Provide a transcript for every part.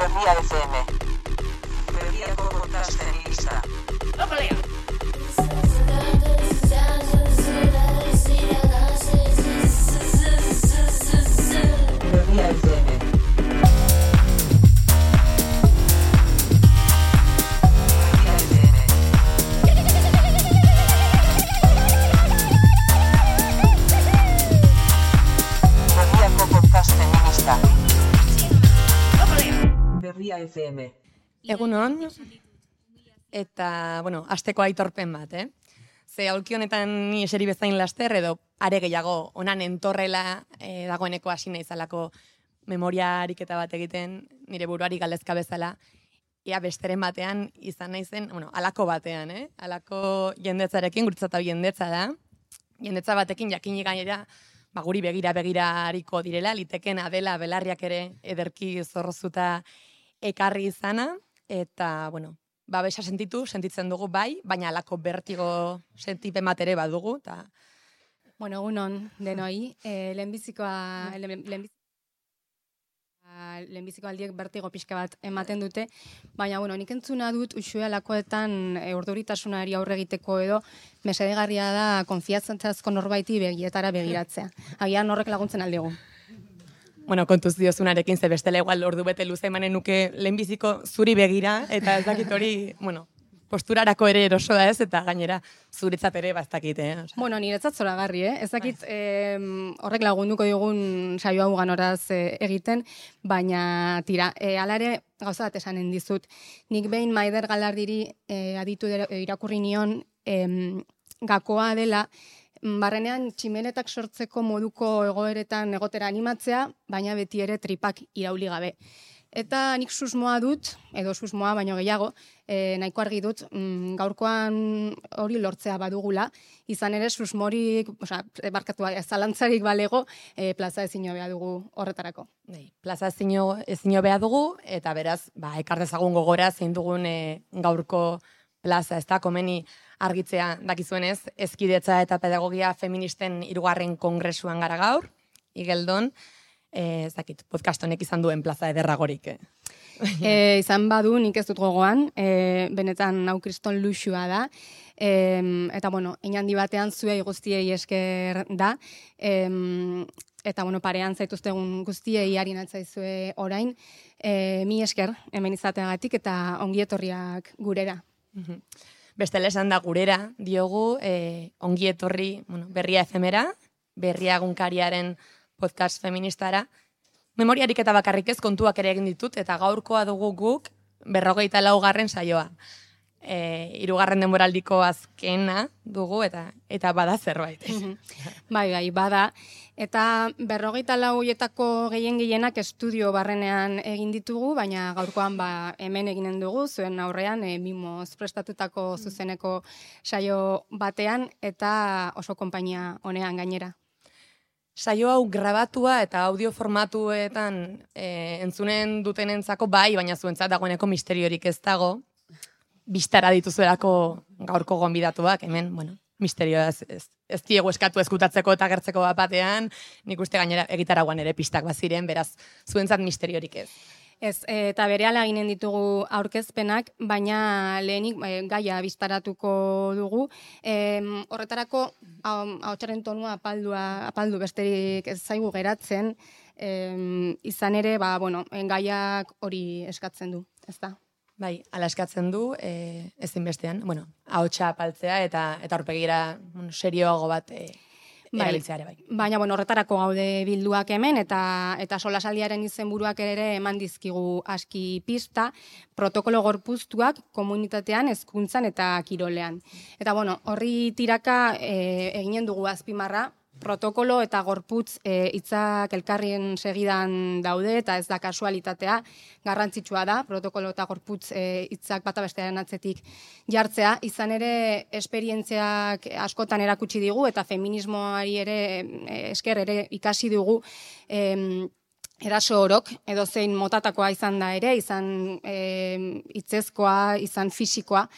Berria FM. Berriako podcast feminista. Berria FM. Berria FM. Egunon, eta, asteko aitorpen bat, Ze aulki honetan ni eseri bezain laster edo are gehiago onan entorrela dagoeneko hasi naizalako memoria ariketa bat egiten, nire buruari galdezka bezala, ea besteren batean izan naizen, halako batean, halako jendetzarekin, guretzat hau jendetza da, jendetza batekin jakinik gainera, guri begira hariko direla, liteken Adela belarriak ere ederki zorrozuta ekarri izana, eta, babesa sentitzen dugu bai, baina alako bertigo sentipen bat ere badugu. Egunon denoi, lehenbiziko aldiek bertigo pixka bat ematen dute, baina, nik entzuna dut usue alakoetan urduritasunari aurre egiteko edo mesedegarria da konfiantzazko norbaiti begietara begiratzea. Agian horrek laguntzen aldigu. Kontuz diozunarekin, ze bestela igual ordu bete luze emanen nuke lehenbiziko zuri begira, eta ez dakit hori, posturarako ere eroso da ez, eta gainera zuretzat ere bastakit, Niretzat zoragarri, Ez dakit horrek lagunduko digun saio hau ganoraz egiten, baina tira, hala ere gauza bat esanen dizut. Nik behin Maider Galardiri aditu irakurri nion gakoa dela, barrenean tximenetak sortzeko moduko egoeretan egotera animatzea, baina beti ere tripak irauli gabe. Eta nik susmoa dut, edo susmoa baino gehiago, nahiko argi dut, gaurkoan hori lortzea badugula, izan ere susmorik, zalantzarik balego, plaza ezin hobea dugu horretarako. Plaza ezin hobea dugu, eta beraz, ekar dezagun gogora zein dugun gaurko plaza, ez da, komeni argitzea dakizuenez, Hezkidetza eta Pedagogia Feministen 3. Kongresuan gara gaur, Igeldon, ez dakit, podcast honek izan duen plaza ederragorik. Izan badu, nik ez dut gogoan, benetan hau kriston luxua da, eta inandi batean zuei guztiei esker da, eta parean zaituztegun guztiei harin altzaizue orain, mi esker hemen izateagatik eta ongietorriak gurera. Bestela esan da gurera, diogu, ongi etorri Berria FM-era, Berria egunkariaren podcast feministara. Memoriarik eta bakarrik ez kontuak ere egin ditut, eta gaurkoa dugu guk 44. saioa. 3. denboraldiko azkena dugu, eta bada zerbait. Bai, bada. Eta 44etako gehienak estudio barrenean egin ditugu, baina gaurkoan hemen eginen dugu, zuen aurrean, mimoz prestatutako zuzeneko saio batean, eta oso konpainia honean gainera. Saio hau grabatua eta audio formatuetan entzunen dutenentzako bai, baina zuentzat dagoeneko misteriorik ez dago, bistara dituzuelako gaurko gonbidatuak, hemen, misterioa ez diegu eskatu eskutatzeko eta gertzeko batean, nik uste gainera egitaragoan ere pistak baziren, beraz, zuentzat misteriorik ez. Ez, eta berehala ginen ditugu aurkezpenak, baina lehenik gaia biztaratuko dugu. Horretarako, ahotsaren tonua apaldu besterik ez zaigu geratzen, izan ere, gaiak hori eskatzen du, ez da? Bai, ala eskatzen du, ezinbestean, ahotsa apaltzea eta aurpegira serioago bat erabiltzea ere bai. Baina, horretarako gaude bilduak hemen, eta solasaldiaren izenburuak ere eman dizkigu aski pista, protokolo gorpuztuak komunitatean, hezkuntzan eta kirolean. Eta, horri tiraka eginen dugu azpimarra, protokolo eta gorputz hitzak elkarrien segidan daude, eta ez da kasualitatea, garrantzitsua da, protokolo eta gorputz hitzak bata bestearen atzetik jartzea, izan ere esperientziak askotan erakutsi digu, eta feminismoari ere esker ere ikasi dugu, eraso orok, edo zein motatakoa izan da ere, izan hitzezkoa, izan fisikoa,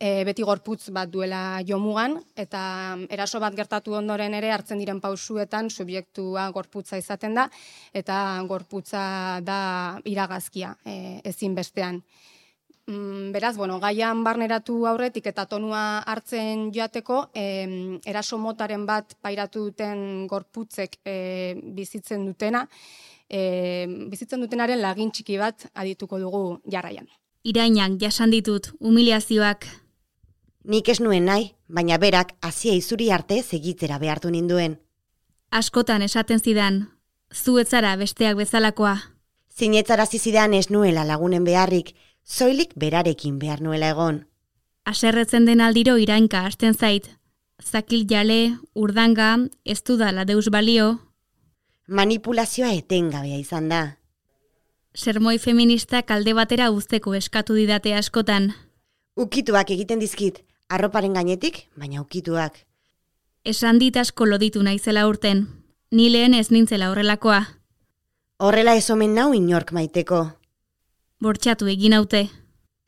beti gorputz bat duela jomugan, eta eraso bat gertatu ondoren ere hartzen diren pausuetan subjektua gorputza izaten da, eta gorputza da iragazkia ezinbestean. Beraz, gaian barneratu aurretik eta tonua hartzen joateko, eraso motaren bat pairatu duten gorputzek bizitzen dutenaren lagin txiki bat adituko dugu jarraian. Irainak jasan ditut, humiliazioak. Nik ez nuen nahi, baina berak hazia izuri arte segitzera behartu ninduen. Askotan esaten zidan, zu ez zara besteak bezalakoa. Zinetzarazi zidan ez nuela lagunen beharrik, soilik berarekin behar nuela egon. Haserretzen den aldiro Irainka hasten zait. Zakil jale, urdanga, ez dudala deus balio. Manipulazioa etengabea izan da. Sermoi feministak alde batera uzteko eskatu didate askotan. Ukituak egiten dizkit, arroparen gainetik, baina ukituak. Esan dit asko loditu naizela urten. Ni lehen ez nintzela horrelakoa. Horrela ez omen nau inork maiteko. Bortxatu egin haute.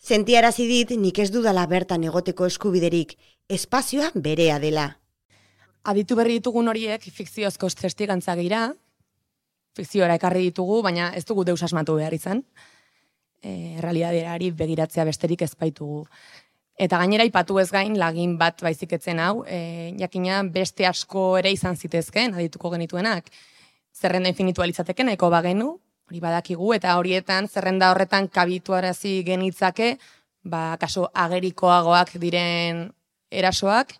Sentiarazi dit nik ez dudala bertan egoteko eskubiderik, espazioa berea dela. Aditu berri ditugun horiek fikziozko testigantza gira, fikziora ekarri ditugu, baina ez dugu deus asmatu behar izan. Realidadeari begiratzea besterik ez baitugu. Eta gainera ipatu ez gain lagin bat baizik etzen hau, jakina beste asko ere izan zitezken, adituko genituenak. Zerrenda infinitua litzateke nahiko bagenu, hori badakigu, eta horietan zerrenda horretan kabituarazi genitzake, kaso agerikoagoak diren erasoak,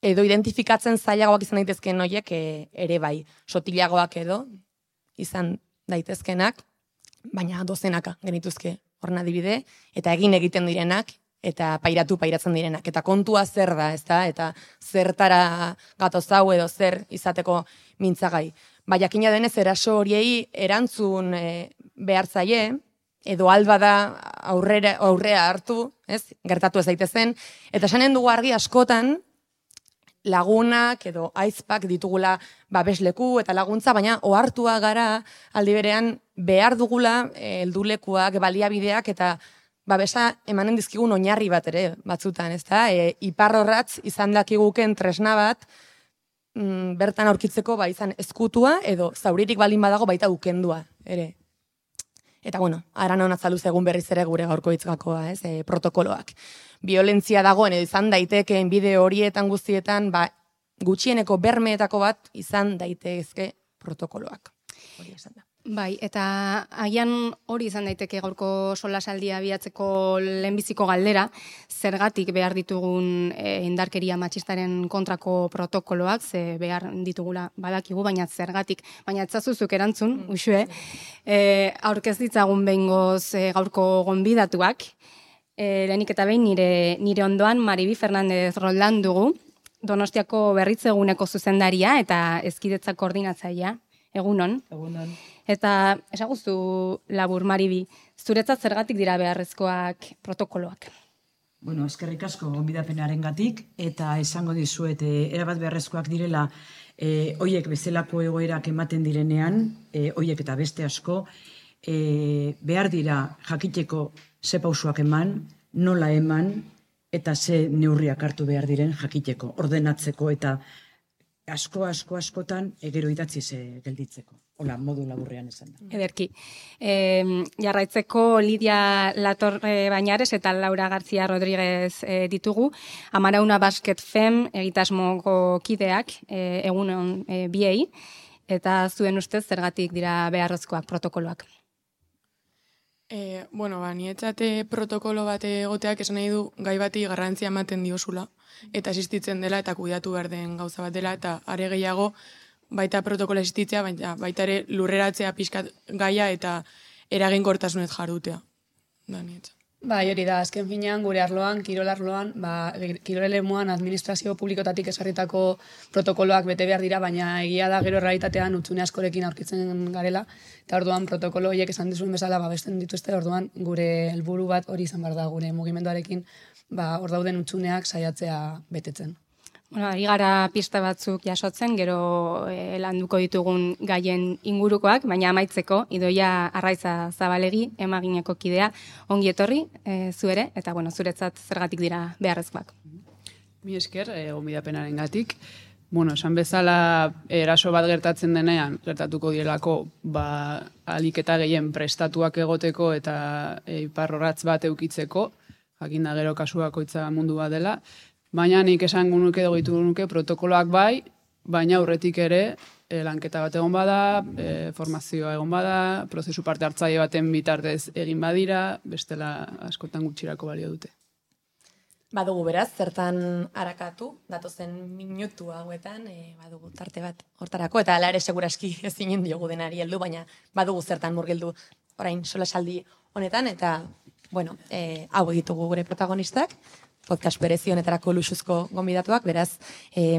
edo identifikatzen zailagoak izan daitezken horiek ere bai, sotilagoak edo izan daitezkenak, baina dozenaka genituzke horren adibide, eta egiten direnak, eta pairatzen direnak. Eta kontua zer da, ezta? Eta zertara gatoz hau edo zer izateko mintzagai. Jakina denez eraso horiei erantzun behar zaie, edo alba da aurrea hartu, gertatu ez daitezen, eta esanen dugu argi askotan, lagunak edo aizpak ditugula babesleku eta laguntza, baina ohartua gara aldi berean behar dugula heldulekuak, baliabideak eta babesa emanen dizkigun oinarri bat ere batzutan, ezta? Iparrorratz izan dakiguken tresna bat bertan aurkitzeko izan ezkutua edo zauririk baldin badago baita ukendua ere. Eta aran hona zaluz egun berriz ere gure gaurko hitzgakoa, protokoloak. Violentzia dagoen edo izan daitekeen bideo horietan guztietan, gutxieneko bermeetako bat izan daitezke protokoloak. Hori esan da. Bai, eta agian hori izan daiteke gaurko solasaldia abiatzeko lehenbiziko galdera, zergatik behar ditugun indarkeria matxistaren kontrako protokoloak, ze behar ditugula badakigu, baina zergatik, baina etzazuzuk erantzun, usue, aurkez ditzagun behingoz gaurko gonbidatuak, lehenik eta behin nire ondoan Maribi Fernandez Roldan dugu, Donostiako berritzeguneko zuzendaria eta hezkidetza koordinatzailea. Egunon. Egunon. Eta esaguzu labur, Maribi, zuretzat zergatik dira beharrezkoak protokoloak? Eskerrik asko gonbidapenarengatik eta esango dizuet erabat beharrezkoak direla hoiek bezalako egoerak ematen direnean, hoiek eta beste asko, behar dira jakiteko ze pausuak eman, nola eman eta ze neurriak hartu behar diren jakiteko, ordenatzeko eta askotan gero idatziz gelditzeko. Hola, modu laburrean esan da. Ederki. Jarraitzeko Lidia Latorre Bañares eta Laura García Rodríguez ditugu. Amarauna Basket Fem egitasmoko kideak, egunon biei, eta zuen ustez zergatik dira beharrezkoak protokoloak. Nietzate protokolo bat egoteak esan nahi du gai bati garrantzia ematen diozula, eta existitzen dela eta kuidatu behar den gauza bat dela, eta are gehiago baita protokola existitzea, baita ere lurreratzea pixkat gaia eta eraginkortasunez jardutea. Da, Nietzate. Hori da, azken finean, gure arloan, kirol arloan, kirolelemuan administrazio publikotatik esarritako protokoloak bete behar dira, baina egia da gero realitatean utzune askorekin aurkitzen garela, eta orduan protokolo horiek esan dizuen bezala babesten dituzte, orduan gure helburu bat hori izan behar da, gure mugimenduarekin hor dauden utzuneak saiatzea betetzen. Bueno, ari gara pista batzuk jasotzen, gero landuko ditugun gaien ingurukoak, baina amaitzeko, Idoia Arraiza Zabalegi, emagineko kidea, ongi etorri, zu ere, eta bueno, zuretzat zergatik dira beharrezkoak. Mi esker, gonbidapenaren gatik. Bueno, esan bezala eraso bat gertatzen denean, gertatuko direlako, alik eta gehien prestatuak egoteko eta iparrorratz bat eukitzeko, jakinda gero kasuakoitza mundu bat dela, baina nik esango nuke dogitu nuke protokoloak bai, baina aurretik ere lanketa bat egon bada, formazioa egon bada, prozesu parte hartzaile baten bitartez egin badira, bestela askotan gutxirako balio dute. Badugu beraz, zertan harakatu, datozen minutu hauetan, badugu tarte bat hortarako, eta ala ere seguraski ezinen diogu denari heldu, baina badugu zertan murgildu orain solasaldi honetan, eta, bueno, hau egitugu gure protagonistak, podcast berezi honetarako luxuzko gonbidatuak, beraz,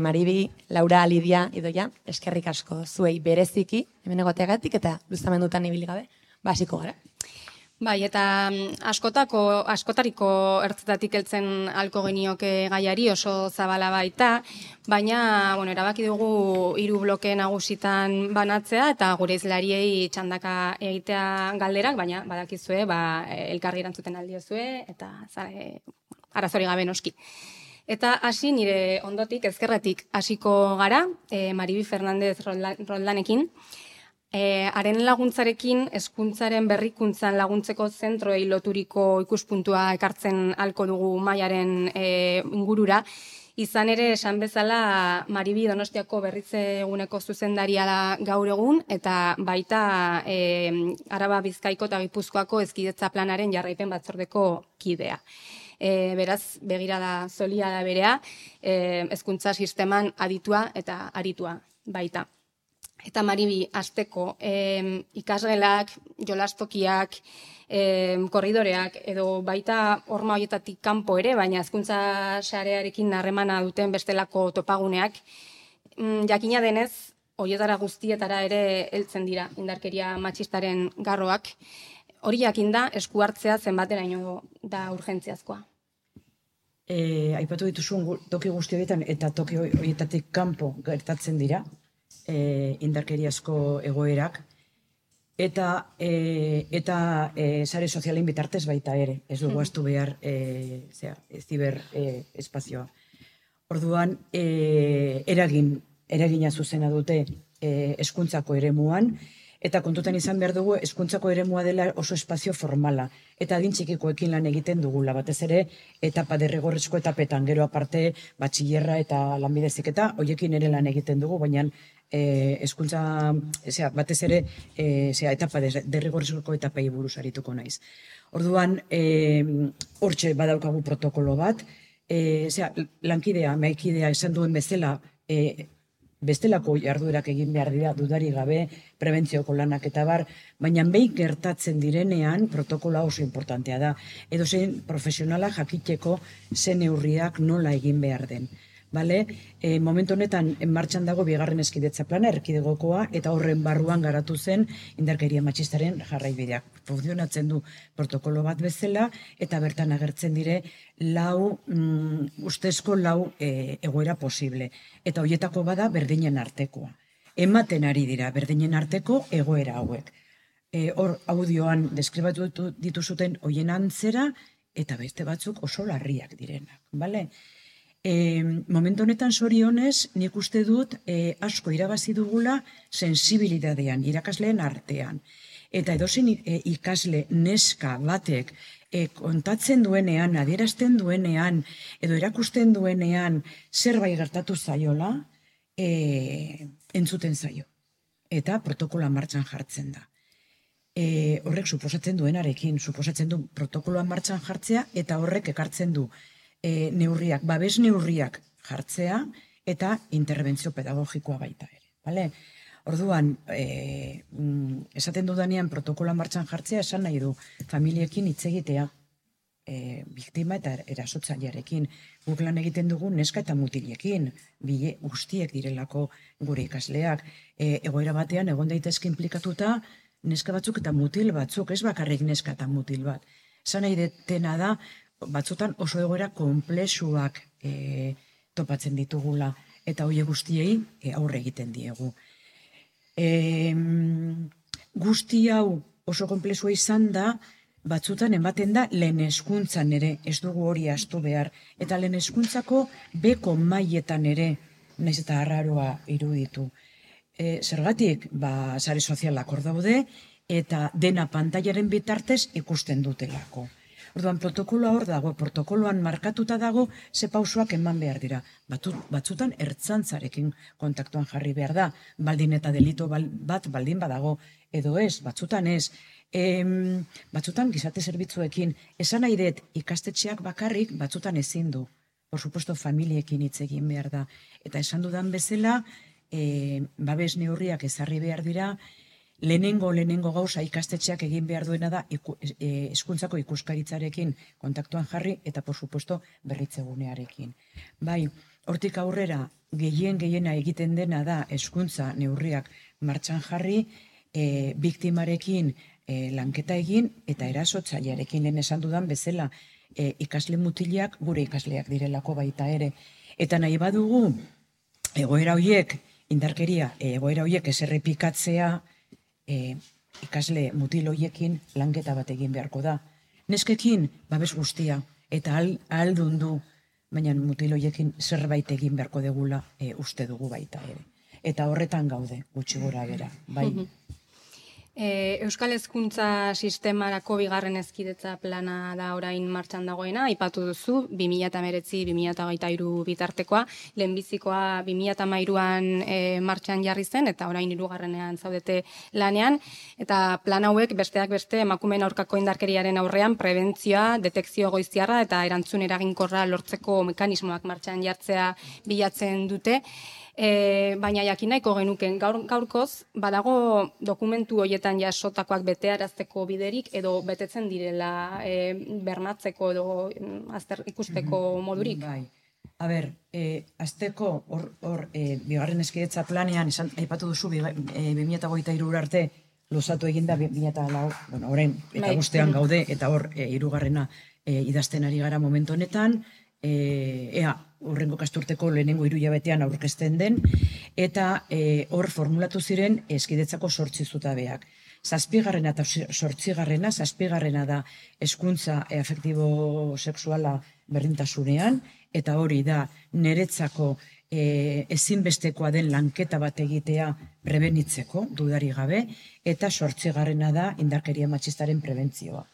Maribi, Laura, Lidia, Idoia, eskerrik asko zuei bereziki, hemen egoteagatik, eta luzamendutan ibili gabe, hasiko gara. Bai, eta askotariko ertzetatik heltzen halko genioke gaiari oso zabala baita, baina, bueno, erabaki dugu 3 bloke nagusitan banatzea, eta gure izlariei txandaka egitea galderak, baina badakizue, elkarri erantzuten aldiozue, eta arazori gabe noski. Eta hasi nire ondotik, ezkerretik hasiko gara, Maribi Fernandez Roldanekin, haren laguntzarekin hezkuntzaren berrikuntzan laguntzeko zentroei loturiko ikuspuntua ekartzen halko dugu Maiaren ingurura. Izan ere, esan bezala, Maribi Donostiako berritze eguneko zuzendaria da gaur egun, eta baita Araba Bizkaiko eta Gipuzkoako hezkidetza planaren jarraipen batzordeko kidea. Beraz, begirada solia da berea, hezkuntza sisteman aditua eta aritua baita. Eta Maribi, hasteko ikasgelak, jolastokiak, korridoreak, edo baita horma horietatik kanpo ere, baina hezkuntza sarearekin harremana duten bestelako topaguneak, jakina denez, horietara guztietara ere heltzen dira indarkeria matxistaren garroak. Hori jakinda, esku hartzea zenbateraino da urgentziazkoa. Aipatu dituzun toki guzti horietan eta toki horietatik kanpo gertatzen dira, indarkeriazko egoerak, eta sare sozialen bitartez baita ere, ez dugu astu behar ziber espazioa. Orduan, eragina zuzena dute hezkuntzako eremuan, eta kontutan izan behar dugu hezkuntzako eremua dela oso espazio formala, eta adin txikikoekin lan egiten dugula, batez ere etapa derrigorrezko etapetan, gero aparte batxillerra eta lanbide heziketa, horiekin ere lan egiten dugu, baina hezkuntza, batez ere etapa derrigorrezko etapei buruz arituko naiz. Orduan, hortxe badaukagu protokolo bat, lankidea, maikidea esan duen bezala, bestelako jarduerak egin behar dira dudari gabe, prebentzioko lanak eta bar, baina behin gertatzen direnean protokola oso importantea da. Edo zein profesionala jakiteko zen neurriak nola egin behar den. Momentu honetan martxan dago 2. hezkidetza plana, erkidegokoa, eta horren barruan garatu zen indarkeria matxistaren jarraibideak. Funtzionatzen du protokolo bat bezala, eta bertan agertzen dire ustezko 4 egoera posible. Eta horietako bada berdinen artekoa. Ematen ari dira berdinen arteko egoera hauek. Hor audioan deskribatu dituzuten horien antzera, eta beste batzuk oso larriak direnak. Momentu honetan zorionez, nik uste dut asko irabazi dugula sensibilidadean, irakasleen artean. Eta edozein ikasle neska batek kontatzen duenean, adierazten duenean, edo erakusten duenean zerbait gertatu zaiola, entzuten zaio. Eta protokola martxan jartzen da. Horrek suposatzen duenarekin, suposatzen du protokoloa martxan jartzea, eta horrek ekartzen du neurriak, babes neurriak jartzea, eta interbentzio pedagogikoa baita ere. Orduan, esaten dudanean protokola martxan jartzea, esan nahi du familiekin hitz egitea, biktima eta erasotzailearekin. Guk lan egiten dugu neska eta mutilekin, guztiek direlako gure ikasleak. Egoera batean, egon daitezke implikatuta, neska batzuk eta mutil batzuk, ez bakarrik neska eta mutil bat. Esan nahi detena da, batzutan oso egoera konplexuak topatzen ditugula, eta horiek guztiei aurre egiten diegu. Guzti hau oso konplexua izan da, batzutan ematen da lehen hezkuntzan ere, ez dugu hori ahaztu behar, eta lehen hezkuntzako beko mailetan ere, naiz eta arraroa iruditu. Zergatik, sare sozialak hor daude, eta dena pantailaren bitartez ikusten dutelako. Orduan, protokoloa hor dago, protokoloan markatuta dago, ze pausoak eman behar dira. Batzutan ertzantzarekin kontaktuan jarri behar da, baldin eta delito bat baldin badago, edo ez, batzutan ez. Batzutan gizarte zerbitzuekin, esan nahi dut ikastetxeak bakarrik, batzutan ezin du. Por supuesto, familiekin hitz egin behar da. Eta esan dudan bezala, babes neurriak ezarri behar dira, lehenengo gauza ikastetxeak egin behar duena da hezkuntzako ikuskaritzarekin kontaktuan jarri eta, por supuesto, berritzegunearekin. Bai, hortik aurrera, gehiena egiten dena da hezkuntza neurriak martxan jarri, biktimarekin lanketa egin eta erasotzailearekin lehen esan dudan bezala ikasle mutilak gure ikasleak direlako baita ere. Eta nahi badugu egoera horiek, indarkeria, egoera horiek ez errepikatzea, ikasle mutil horiekin lanketa bat egin beharko da. Neskekin babes guztia eta ahaldun du, baina mutil horiekin zerbait egin beharko degula uste dugu baita ere. Eta horretan gaude, gutxi gora bera, bai. Euskal Hezkuntza Sistemarako bigarren hezkidetza plana da orain martxan dagoena, aipatu duzu, 2019-2023 bitartekoa, lehenbizikoa 2013an martxan jarri zen, eta orain 3. zaudete lanean, eta plan hauek besteak beste emakumeen aurkako indarkeriaren aurrean prebentzioa, detekzio goiztiarra eta erantzun eraginkorra lortzeko mekanismoak martxan jartzea bilatzen dute. Baina jakin nahiko genuken gaurkoz, badago dokumentu horietan jasotakoak betearazteko biderik edo betetzen direla bermatzeko edo ikusteko modurik? Bai. Azteko hor bigarren hezkidetza planean, aipatu duzu 2023 arte luzatu eginda 2004, orain eta guztean gaude eta hor 3. idazten ari gara momentu honetan, horrengo kasturteko lehenengo 3 hilabetean aurkezten den, eta hor formulatu ziren hezkidetzako 8 zutabeak. 7. eta 8. 7. da hezkuntza afektibo-sexuala berdintasunean, eta hori da niretzako ezinbestekoa den lanketa bat egitea prebenitzeko, dudari gabe, eta 8. da indarkeria matxistaren prebentzioa.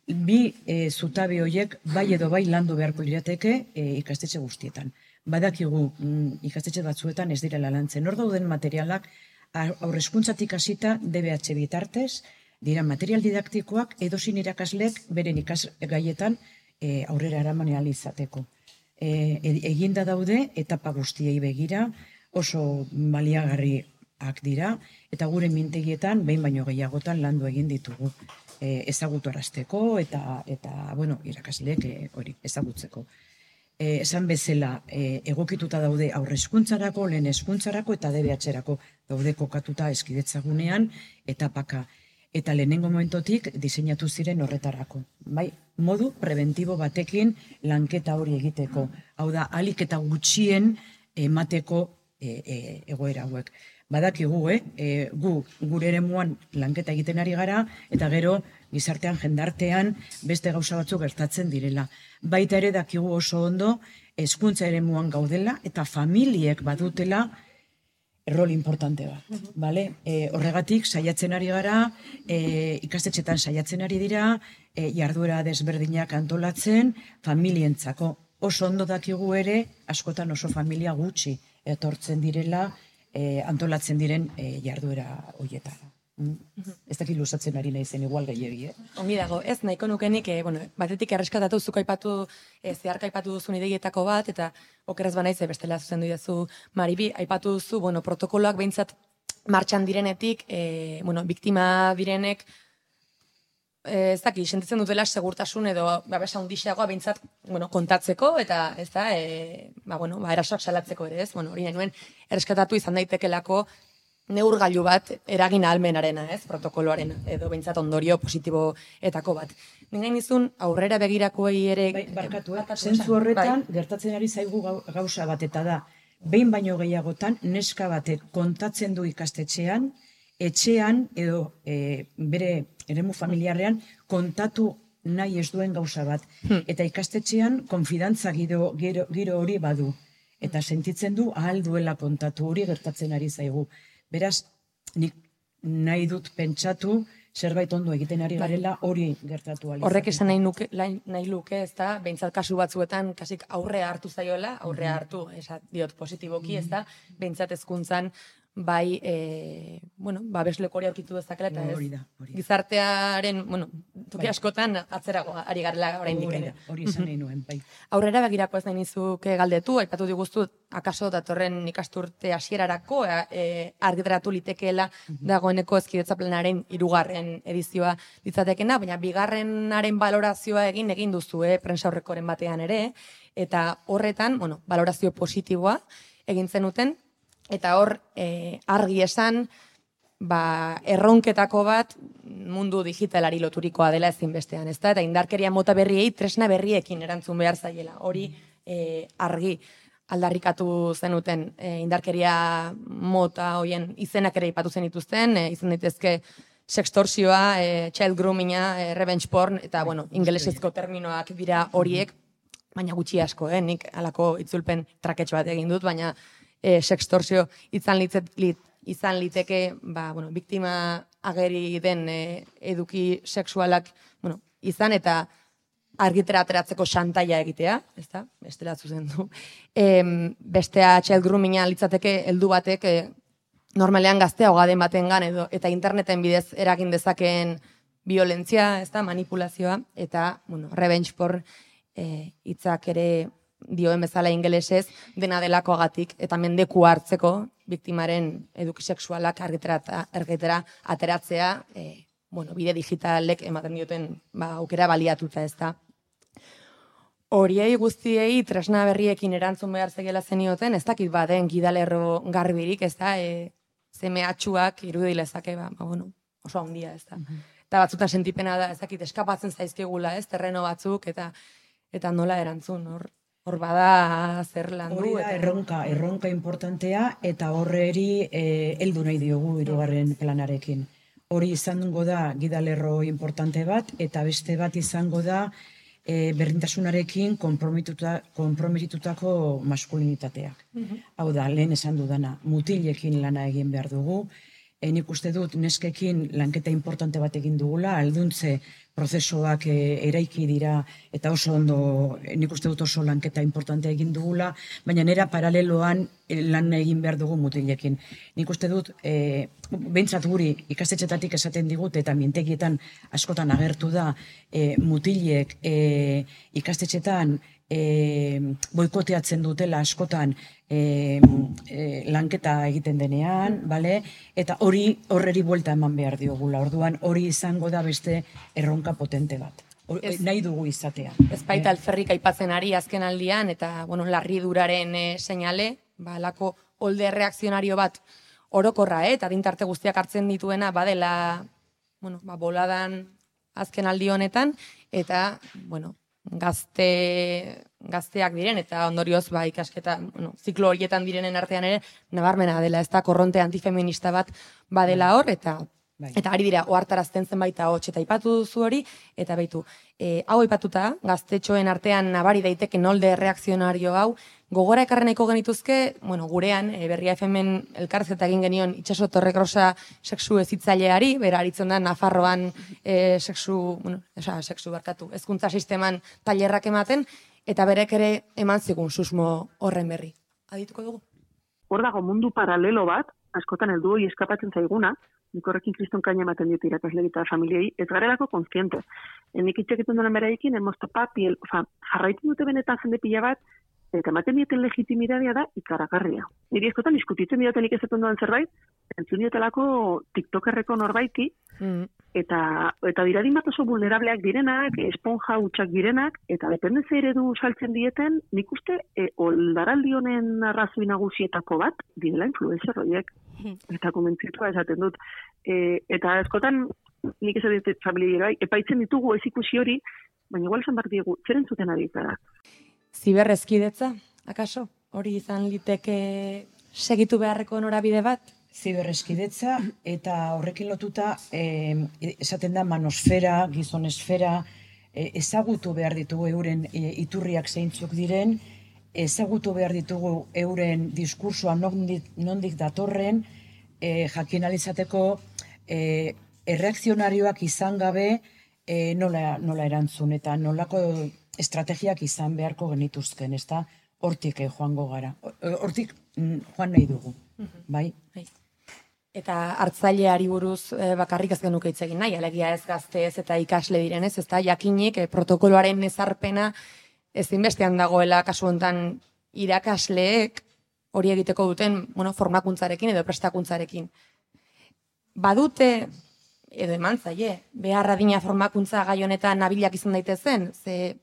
Bi zutabe horiek bai edo bai landu beharko lirateke ikastetxe guztietan. Badakigu ikastetxe batzuetan ez direla lantzen. Hor dauden materialak aurrezkuntzatik hasita DBH bitartez, dira material didaktikoak edozein irakaslek beren ikasgaietan aurrera eraman ahal izateko. Eginda daude etapa guztiei begira, oso baliagarriak dira, eta gure mintegietan behin baino gehiagotan landu egin ditugu. Ezagutarazteko eta irakasleek hori ezagutzeko. Esan bezala egokituta daude aurrezkuntzarako, lehen hezkuntzarako eta DBH-erako daude kokatuta hezkidetzagunean etapaka. Eta lehenengo momentotik diseinatu ziren horretarako. Bai, modu preventibo batekin lanketa hori egiteko. Hau da, ahalik eta gutxien emateko egoera hauek. Badakigu, gu gure eremuan lanketa egiten ari gara, eta gero gizartean, jendartean, beste gauza batzuk gertatzen direla. Baita ere dakigu oso ondo, hezkuntza eremuan gaudela, eta familiek badutela rol importante bat. Horregatik, saiatzen ari gara, ikastetxetan saiatzen ari dira, jarduera desberdinak antolatzen, familientzako. Oso ondo dakigu ere, askotan oso familia gutxi etortzen direla, antolatzen diren jarduera horietara. Ez dakit luzatzen ari nahi zen igual gehiagi, Ongi dago, ez nahiko nukenik, batetik erreskatatu zuko zeharka aipatu duzun ideietako bat, eta okeraz banaiz bestela zuzendu idazu Maribi, aipatu duzu, protokoloak behintzat martxan direnetik, biktima direnek, ez dakit, sentitzen dutela segurtasun edo babesa hundixeagoa behintzat kontatzeko eta ez da, erasoak salatzeko ere ez, hori nahi nuen erreskatatu izan daitekelako neurgailu bat eragin ahalmenarena, ez, protokoloaren, edo behintzat ondorio positiboetako bat. Nik nizun aurrera begirakoei ere... Barkatu, zentzu horretan gertatzen ari zaigu gauza bat, eta da, behin baino gehiagotan, neska batek kontatzen du ikastetxean, etxean edo bere eremu familiarrean kontatu nahi ez duen gauza bat. Eta ikastetxean konfidantza giro hori badu. Eta sentitzen du ahal duela kontatu, hori gertatzen ari zaigu. Beraz, nik nahi dut pentsatu, zerbait ondo egiten ari garela hori gertatu alizateko. Horrek esan nahi luke, ez da, behintzat kasu batzuetan, kasik aurrea hartu zaiola, aurrea hartu, diot positiboki, ez da, behintzat hezkuntzan, bai, babesleko hori aurkitu dezakela, eta ez, gizartearen, toki askotan atzerago ari garela oraindik ere. Hori esan nahi nuen, bai. Aurrera begirako ez nahi nizuke galdetu, aipatu diguztu, akaso datorren ikasturte hasierarako argitaratu litekeela dagoeneko hezkidetza planaren 3. edizioa litzatekena, baina 2. balorazioa egin duzu, prentsaurrekoren batean ere, eta horretan, balorazio positiboa egin zenuten, eta hor argi esan, erronketako bat mundu digitalari loturikoa dela ezinbestean, ezta? Eta indarkeria mota berriei tresna berriekin erantzun behar zaiela. Hori argi aldarrikatu zenuten indarkeria mota hoien izenak ere ipatu zenituzten, izan daitezke sextorsioa, child groominga, revenge porn, eta ingelesezko terminoak dira horiek, baina gutxi asko, nik halako itzulpen traketxo bat egin dut, baina sextorsio izan liteke, biktima ageri den eduki sexualak izan eta argitera ateratzeko xantaia egitea, ez da, bestela zuzendu. Bestea child groominga litzateke heldu batek normalean gaztea hogaden batengan edo eta interneten bidez eragin dezakeen violentzia, ez da, manipulazioa, eta revenge porn hitzak ere dioen bezala ingelesez, dena delakoagatik eta mendeku hartzeko biktimaren eduki sexualak argitera ateratzea, bide digitalek ematen dioten aukera baliatuta, ez da. Horiei guztiei tresna berriekin erantzun behar zegela zenioten, ez dakit baden gidalerro garbirik, ez da, zemeatxuak irudilezake, oso handia, ez da. Eta batzutan sentipena da, ez dakit, eskapatzen zaizkigula, ez, terreno batzuk, eta nola erantzun, hor bada zer landu. Hori da erronka importantea, eta horreri heldu nahi diogu 3. planarekin. Hori izango da gidalerro importante bat, eta beste bat izango da berdintasunarekin konprometitutako maskulinitateak. Hau da, lehen esan dudana, mutilekin lana egin behar dugu, nik uste dut neskekin lanketa importante bat egin dugula, alduntze prozesuak eraiki dira, eta oso ondo, nik uste dut oso lanketa importantea egin dugula, baina nera paraleloan lan egin behar dugu mutilekin. Nik uste dut, behintzat guri ikastetxetatik esaten digut, eta mintegietan askotan agertu da, mutilek ikastetxetan boikoteatzen dutela askotan lanketa egiten denean, eta horreri buelta eman behar diogula. Orduan hori izango da beste erronka potente bat. Nahi dugu izatea. Ez baita alferrik aipatzen ari azken aldian, eta larriduraren seinale, alako olde reakzionario bat orokorra, eta dintarte guztiak hartzen dituena badela boladan azken aldi honetan, eta, gazteak diren, eta ondorioz ikasketa, ziklo horietan direnen artean ere, nabarmena dela, ez da, korronte antifeminista bat badela hor, eta ari dira, ohartarazten zenbait ahots, eta aipatu duzu hori, eta baitu, hau aipatuta, gaztetxoen artean nabari daiteke nolde reakzionario hau, gogora ekarreneko genituzke, gurean, Berria FM elkarrizketa egin genion Itxaso Torrekrosa sexu hezitzaileari, bera aritzen da Nafarroan hezkuntza sisteman tailerrak ematen, eta berek ere eman zigun susmo horren berri. Adituko dugu? Hor dago mundu paralelo bat, askotan heldu hori eskapatzen zaiguna, nik horrekin kriston kaina ematen ditu irakasle eta familiei, ez garelako kontziente. Nik itxeketun duen beraiekin, jarraitzen dute benetan jende pila bat, eta ematen dieten legitimidadea da ikaragarria. Niri eskotan diskutitzen dioten ikezetan duen zerbait, entzun diotelako tiktokerreko norbaiti, eta diradin bat oso vulnerableak direnak, esponja hutsak direnak, eta dependentza eredu saltzen dieten, nik uste oldaraldi honen arrazoi nagusietako bat, direla influencer horiek, eta komentzitua esaten dut. Eta askotan, nik esan dit familia epaitzen ditugu ez ikusi hori, baina igual esan behar diegu, zer entzuten ari gara. Ziberrezkidetza, akaso? Hori izan liteke segitu beharreko norabide bat? Ziberrezkidetza eta horrekin lotuta esaten da manosfera, gizonesfera, ezagutu behar ditugu euren iturriak zeintzuk diren, ezagutu behar ditugu euren diskursoa nondik datorren, jakin alizateko erreakzionarioak izan gabe nola erantzun eta nolako estrategiak izan beharko genituzken, ez da? Hortik joango gara. Hortik joan nahi dugu, bai? Eta hartzaileari buruz bakarrik ez genuke hitz egin nahi, alegia ez gazteez eta ikasle direnez, ez da, jakinik protokoloaren ezarpena ezinbestean dagoela kasu honetan irakasleek hori egiteko duten formakuntzarekin edo prestakuntzarekin. Badute, edo eman zaie, behar adina formakuntza gai honetan nabilak izan daitezen, ze,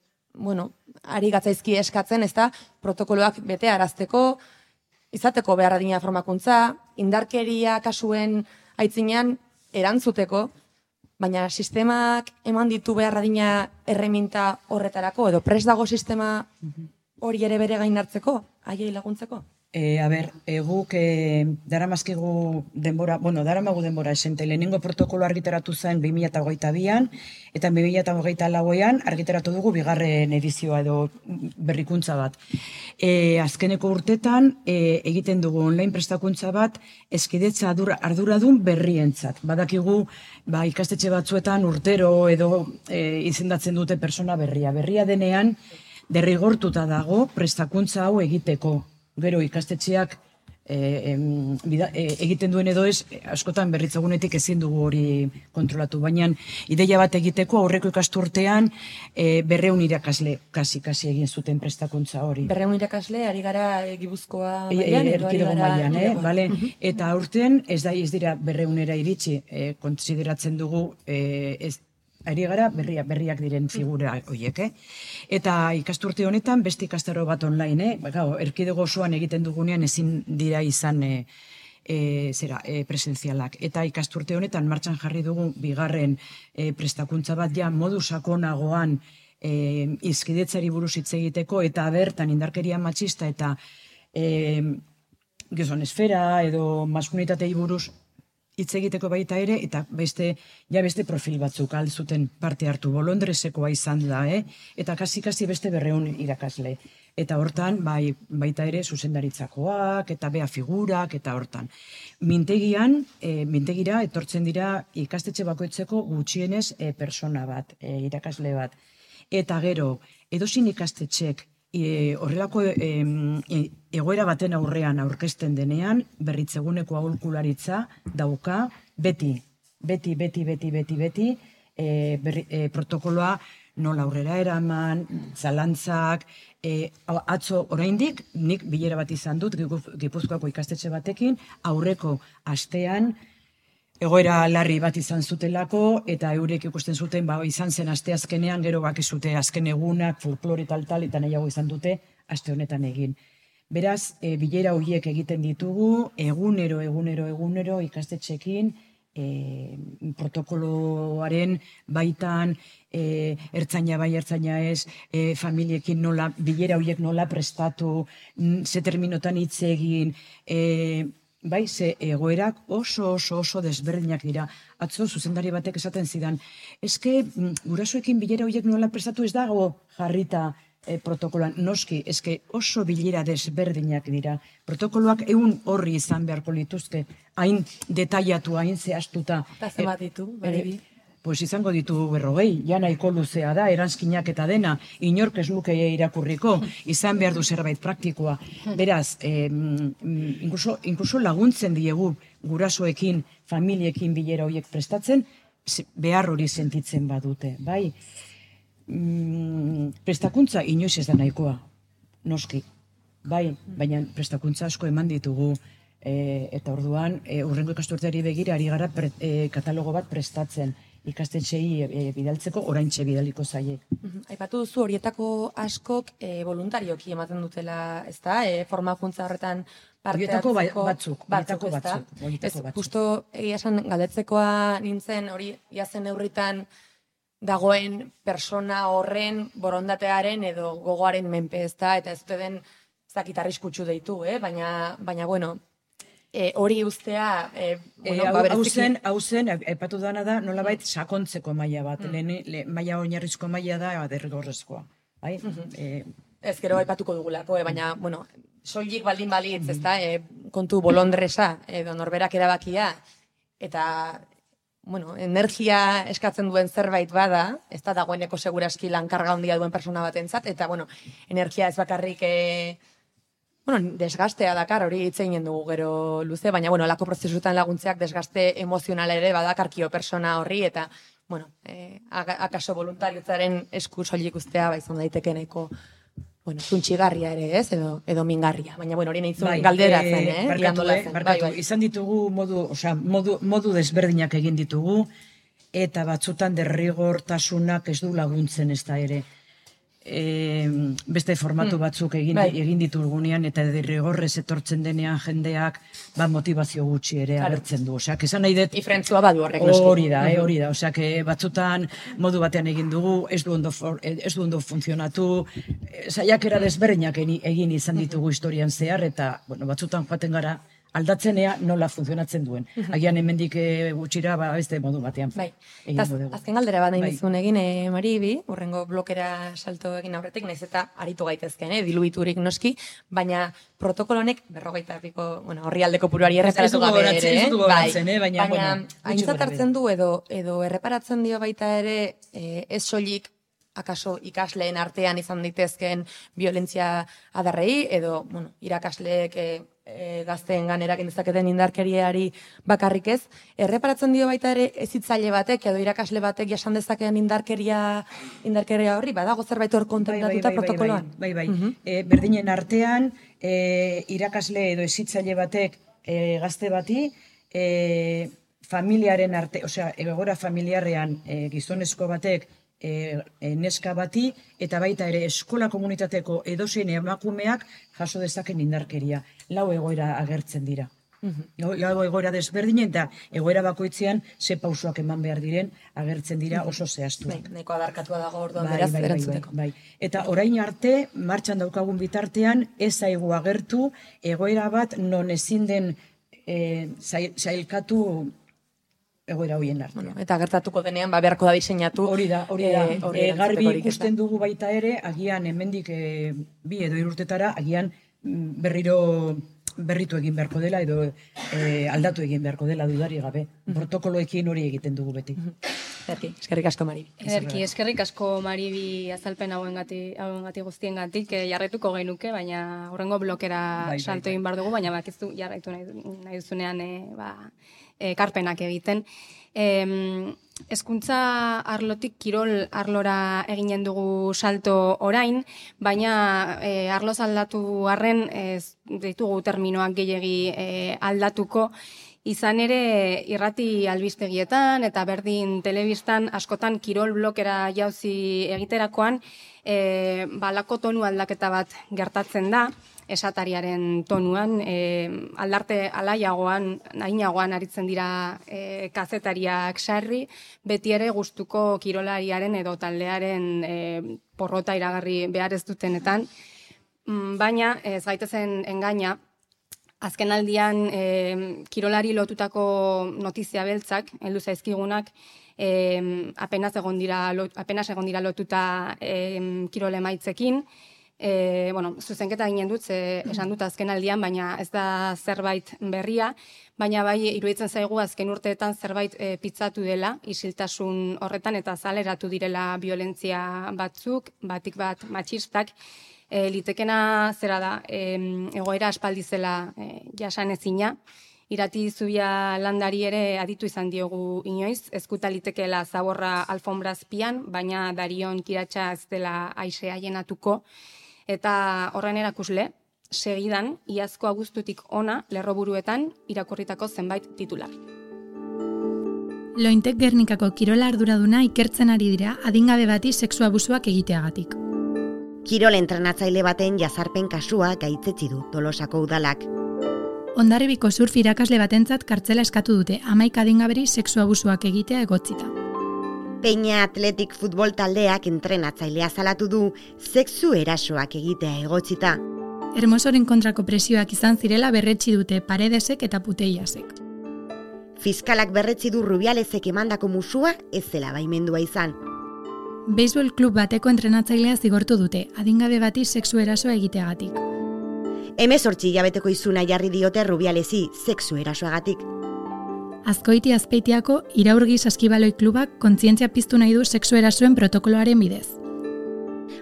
ari gatzaizki eskatzen, ez da, protokoloak bete arazteko, izateko behar adina formakuntza, indarkeria kasuen aitzinean erantzuteko, baina sistemak eman ditu behar adina erreminta horretarako, edo prest dago sistema hori ere bere gain hartzeko, haiei laguntzeko? Guk daramazkigu denbora, daramagu denbora esente, lehenengo protokolo argitaratu zen 2022an, eta 2024an argitaratu dugu bigarren edizioa edo berrikuntza bat. Azkeneko urtetan egiten dugu online prestakuntza bat eskidetza arduradun berrientzat. Badakigu ikastetxe batzuetan urtero edo izendatzen dute persona berria. Berria denean derrigortuta dago prestakuntza hau egiteko. Gero ikastetxeak egiten duen edo ez, askotan berritzagunetik ezin dugu hori kontrolatu, baina ideia bat egiteko aurreko ikasturtean 200 irakasle kasi egin zuten prestakuntza hori. 200 irakasle, ari gara Gipuzkoa mailan, erkidego mailan, bale? Eta aurten ez dira 200era iritsi, kontsideratzen dugu ari gara berriak diren figura horiek, Eta ikasturte honetan beste ikastaro bat online, erkidego osoan egiten dugunean ezin dira izan presentzialak. Eta ikasturte honetan martxan jarri dugu bigarren prestakuntza bat modu sakonagoan hizkidetzari buruz hitz egiteko eta bertan indarkeria matxista eta gizonesfera edo maskulinitatei buruz hitz egiteko baita ere, eta beste profil batzuk altzuten parte hartu, bolondresekoa izan da, eta kasi beste 200 irakasle. Eta hortan, baita ere, zuzendaritzakoak, eta bea figurak, eta hortan. Mintegira etortzen dira ikastetxe bakoitzeko gutxienez persona bat, irakasle bat. Eta gero, edozin ikastetxek horrelako egoera baten aurrean aurkezten denean, berritzeguneko aholkularitza dauka beti protokoloa nola aurrera eraman, zalantzak, atzo oraindik, nik bilera bat izan dut Gipuzkoako ikastetxe batekin, aurreko astean, egoera larri bat izan zutelako, eta eurek ikusten zuten, izan zen asteazkenean, gero bakizute azken egunak, folklore tal, eta nahiago izan dute, aste honetan egin. Beraz, bilera horiek egiten ditugu, egunero ikastetxekin, protokoloaren baitan, ertzaina bai, ertzaina ez, familiekin nola, bilera horiek nola prestatu, ze terminotan hitz egin, ze egoerak oso desberdinak dira. Atzo, zuzendari batek esaten zidan, eske gurasoekin bilera horiek nola prestatu ez dago jarrita protokoloan, noski, eske oso bilera desberdinak dira. Protokoloak ehun horri izan beharko lituzke, hain detaiatu, hain zehaztuta. Eta zenbat ditu, baribi? Pues izango ditu 40, ja nahiko luzea da, eranskinak eta dena, inork ez luke irakurriko, izan behar du zerbait praktikoa. Beraz, inkluso laguntzen diegu gurasoekin, familiekin bilera horiek prestatzen, behar hori sentitzen badute, bai? Prestakuntza inoiz ez da nahikoa, noski, bai, baina prestakuntza asko eman ditugu, eta orduan, urrengo ikasturteari begira ari gara katalogo bat prestatzen. ikastetxeei bidaltzeko, oraintxe bidaliko zaie. Aipatu duzu horietako askok voluntarioki ematen dutela, ezta? Formakuntza horretan parte Horietako hartzeko batzuk. Justo egia esan galdetzekoa nintzen hori jazen neurritan dagoen persona horren borondatearen edo gogoaren menpe, ezta? Eta ez dute den zakit arriskutsu deitu, baina bueno, hori ustea hau zen, aipatu dana da, nolabait sakontzeko maila bat, maila oinarrizko maila da derrigorrezkoa. Bai? Ez gero aipatuko dugulako, baina, bueno, soilik baldin balitz, ezta, kontu bolondresa, edo norberak erabakia, eta, bueno, energia eskatzen duen zerbait bada, ez da dagoeneko seguraski lankarga handia duen persona batentzat, eta, bueno, energia ez bakarrik desgastea dakar, hori hitz egin dugu gero luze, baina, bueno, lako prozesutan laguntzeak desgaste emozional ere badakarkio persona horri, eta, bueno, akaso voluntariutzaren esku soilik ustea, izan daiteke nahiko, bueno, zuntxigarria ere, ez, edo mingarria, baina, bueno, hori nahi galderatzen, Barkatu, izan ditugu modu desberdinak egin ditugu, eta batzutan derrigortasunak ez du laguntzen ez da ere. Beste formatu batzuk egin ditugunean eta derrigorrez etortzen denean jendeak motivazio gutxi ere agertzen du. Oseak, esan nahi dut... Ifrentzua badu horrek. Hori da. Oseak, batzutan modu batean egin dugu, ez du ondo funtzionatu, saiakera desberdinak egin izan ditugu historian zehar, eta batzutan joaten gara aldatzenea nola funtzionatzen duen. Agian hemendik gutxira beste modu batean. Azken galdera bat nahi bizun egin, Maribi, urrengo blokera salto egin aurretik, nahiz eta aritu gaitezken, diluiturik noski, baina protokolonek 40ko, horri aldeko puruari erreparatu gabe ere. Ez dugu goratzen, baina aintzat hartzen du edo erreparatzen dio baita ere ez soilik akaso ikasleen artean izan daitezkeen violentzia adarrei, edo irakasleek gazteen ganerak dezaketen indarkeriari bakarrik ez, erreparatzen dio baita ere hezitzaile batek edo irakasle batek jasan dezakeen indarkeria horri, badago zerbait hor kontemplatuta protokoloan? Bai. Berdinen artean, irakasle edo hezitzaile batek gazte bati, familiaren arte, egoera familiarrean gizonezko batek neska bati, eta baita ere eskola komunitateko edozein emakumeak jaso dezaken indarkeria. Lau egoera agertzen dira. Lau egoera desberdinen, eta egoera bakoitzean ze pausoak eman behar diren agertzen dira oso zehaztuak. Neko adarkatua dago orduan beraz erantzuteko. Eta orain arte, martxan daukagun bitartean, ez zaigu agertu egoera bat non ezin den zailkatu egoera hoien artean. Eta gertatuko denean, beharko da diseinatu. Hori da. Garbi ikusten dugu baita ere, agian hemendik 2 edo 3 urtetara, agian berritu egin beharko dela, edo aldatu egin beharko dela dudari gabe. Protokoloekin hori egiten dugu beti. Eskerrik asko, Maribi. Eskerrik asko, Maribi, azalpen hauengatik guztiengatik, jarraituko genuke, baina horrengo blokera salto egin behar dugu, baina bakizu jarraitu nahi duzunean karpenak egiten. Hezkuntza arlotik kirol arlora eginen dugu salto orain, baina arloz aldatu arren ez ditugu terminoak gehiegi aldatuko. Izan ere, irrati albistegietan eta berdin telebistan askotan kirol blokera jauzi egiterakoan, balako tonu aldaketa bat gertatzen da, esatariaren tonuan, aldarte alainagoan aritzen dira kazetariak sarri, beti ere gustuko kirolariaren edo taldearen porrota iragarri behar ez dutenetan, baina ez gaitezen engaina, azken aldian kirolari lotutako notizia beltzak, heldu zaizkigunak, apenas egon dira lotuta kirol emaitzekin. Zuzenketa ginen dut, esan dut azken aldian, baina ez da zerbait berria, baina bai iruditzen zaigu azken urteetan zerbait pitzatu dela, isiltasun horretan eta zaleratu direla violentzia batzuk, batik bat matxistak, litekena zera da, egoera aspaldizela jasanezina, irati zubia landari ere aditu izan diogu inoiz, ezkuta litekeela zaborra alfombrazpian, baina darion kiratxa ez dela aize aienatuko, eta horren erakusle, segidan, iazko abuztutik ona lerroburuetan irakurritako zenbait titular. Lointek Gernikako kirola arduraduna ikertzen ari dira adingabe bati sexu abusuak egiteagatik. Kirol entrenatzaile baten jazarpen kasua gaitzetsi du Tolosako udalak. Hondarribiko surf irakasle batentzat kartzela eskatu dute 11 adingaberi sexu abusuak egitea egotzita. Peña Athletic futbol taldeak entrenatzailea salatu du sexu erasoak egitea egotzita. Hermosoren kontrako presioak izan zirela berretsi dute Paredesek eta Puteiasek. Fiskalak berretsi du Rubialezek emandako musua ez zela baimendua izan. Beisbol klub bateko entrenatzailea zigortu dute, adingabe bati sexu erasoa egiteagatik. 18 hilabeteko izuna jarri diote Rubialezi sexu erasoagatik. Azkoiti Azpeitiako Iraurgi Saskibaloi klubak kontzientzia piztu nahi du sexu erasoen protokoloaren bidez.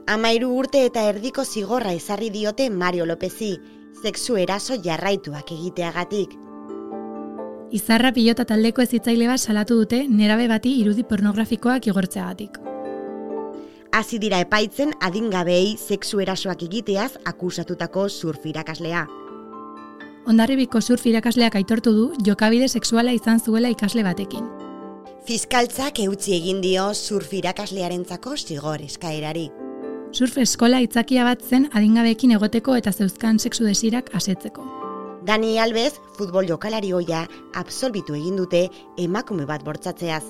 13 urte eta erdiko zigorra ezarri diote Mario Lopezi, sexu eraso jarraituak egiteagatik. Izarra pilota taldeko hezitzaile bat salatu dute nerabe bati irudi pornografikoak igortzeagatik. Hasi dira epaitzen adingabeei sexu erasoak egiteaz akusatutako surf irakaslea. Hondarribiko surf irakasleak aitortu du jokabide sexuala izan zuela ikasle batekin. Fiskaltzak eutsi egin dio surf irakaslearentzako zigor eskaerari. Surf eskola itzakia bat zen adingabeekin egoteko eta zeuzkan sexu desirak asetzeko. Dani Alves, futbol jokalari ohia, absolbitu egin dute emakume bat bortzatzeaz.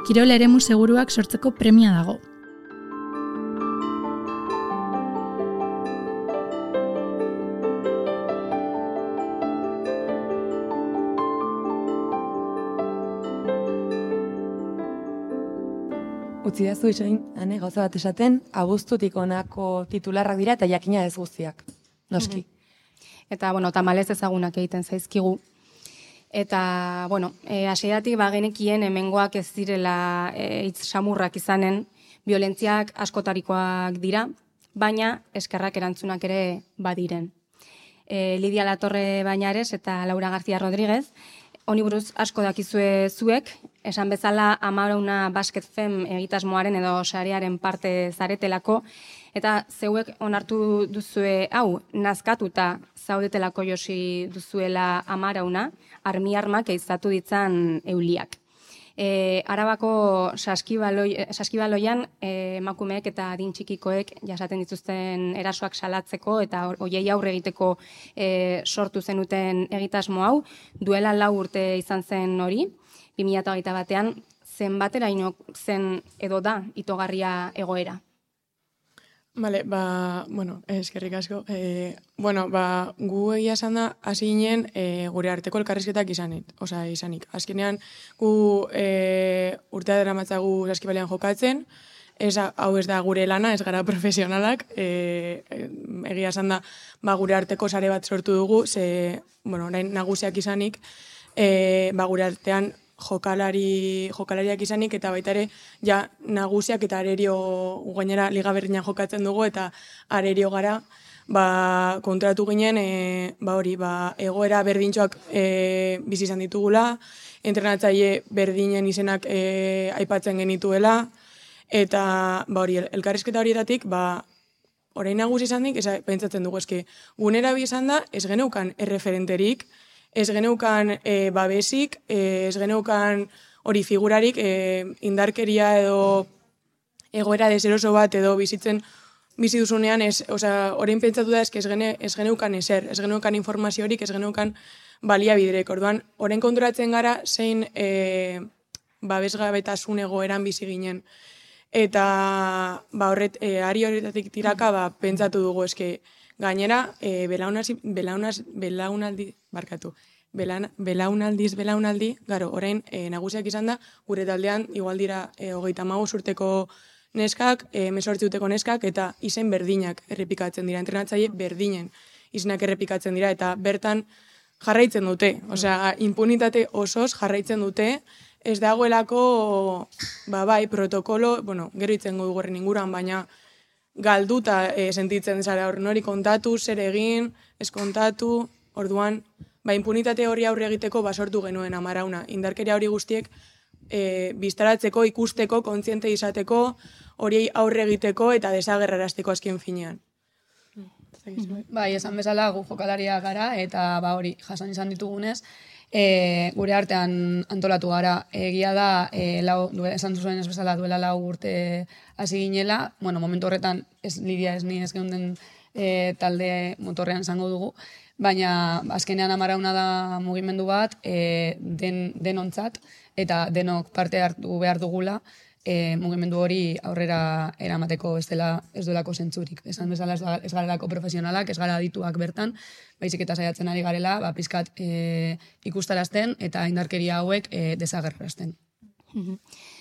Kirol eremu seguruak sortzeko premia dago. Utzidazu itxoin, gauza bat esaten, abuztutik honako titularrak dira eta jakina ez guztiak, noski. Eta, tamalez ezagunak egiten zaizkigu. Eta, hasieratik bagenekien hemengoak ez direla hitz samurrak izanen, violentziak askotarikoak dira, baina eskerrak erantzunak ere badiren. Lidia Latorre Bañares eta Laura García Rodríguez, honi buruz asko dakizue zuek, esan bezala Amarauna Basket Fem egitasmoaren edo sarearen parte zaretelako, eta zeuek onartu duzue hau, nazkatuta zaudetelako josi duzuela Amarauna, armi-armak eizatu ditzan euliak. Arabako saskibaloian emakumeek eta adin txikikoek jasaten dituzten erasoak salatzeko eta hoiei aurre egiteko sortu zenuten egitasmo hau, duela 4 urte izan zen hori, 2021an, zenbateraino zen edo da itogarria egoera? Bale, eskerrik asko. Gu egia esan da, hasi ginen gure arteko elkarrizketak izanik. Azkenean, gu urtea daramatzagu saskibalean jokatzen, hau ez da gure lana, ez gara profesionalak, egia esan da, gure arteko sare bat sortu dugu, orain nagusiak izanik, gure artean jokalariak izanik, eta baita ere, nagusiak eta arerio gainera liga berdinan jokatzen dugu, eta arerio gara, kontratu ginen, egoera berdintxoak bizi izan ditugula, entrenatzaile berdinen izenak aipatzen genituela, eta elkarrizketa horietatik, orain nagusi izan dik, pentsatzen dugu, gunera bi izan da, ez geneukan erreferenterik, ez geneukan babesik, ez geneukan hori figurarik, indarkeria edo egoera deseroso bat edo bizi duzunean, orain pentsatu da ez geneukan ezer, ez geneukan informaziorik, ez geneukan baliabiderek. Orduan, orain konturatzen gara zein babesgabetasun egoeran bizi ginen. Eta ari horretatik tiraka pentsatu dugu gainera, belaunaldi, orain nagusiak izan da, gure taldean, igual dira 35 urteko neskak, 18 urteko neskak, eta izen berdinak errepikatzen dira, entrenatzaile berdinen izenak errepikatzen dira, eta bertan jarraitzen dute, impunitate osoz jarraitzen dute, ez dagoelako, protokolo, gero itzen dugu horren inguruan, baina galduta sentitzen zara hor, nori kontatu, zer egin, ez kontatu, orduan, impunitate hori aurre egiteko basortu genuen Amarauna. Indarkeria hori guztiek biztaratzeko, ikusteko, kontziente izateko, hori aurre egiteko eta desagerrarazteko azken finean. Esan bezala gu jokalaria gara eta jasan izan ditugunez, gure artean antolatu gara. Egia da, esan duzuen ez bezala duela 4 urte hasi ginela, momentu horretan Lidia ez ni ez geunden talde motorrean zango dugu, baina azkenean amarauna da mugimendu bat denontzat, eta denok parte hartu behar dugula, mugimendu hori aurrera eramateko ez duelako zentzurik. Esan bezala ez garelako profesionalak, ez gara adituak bertan, baizik eta saiatzen ari garela, pizkat ikustarazten eta indarkeria hauek desagerrarazten.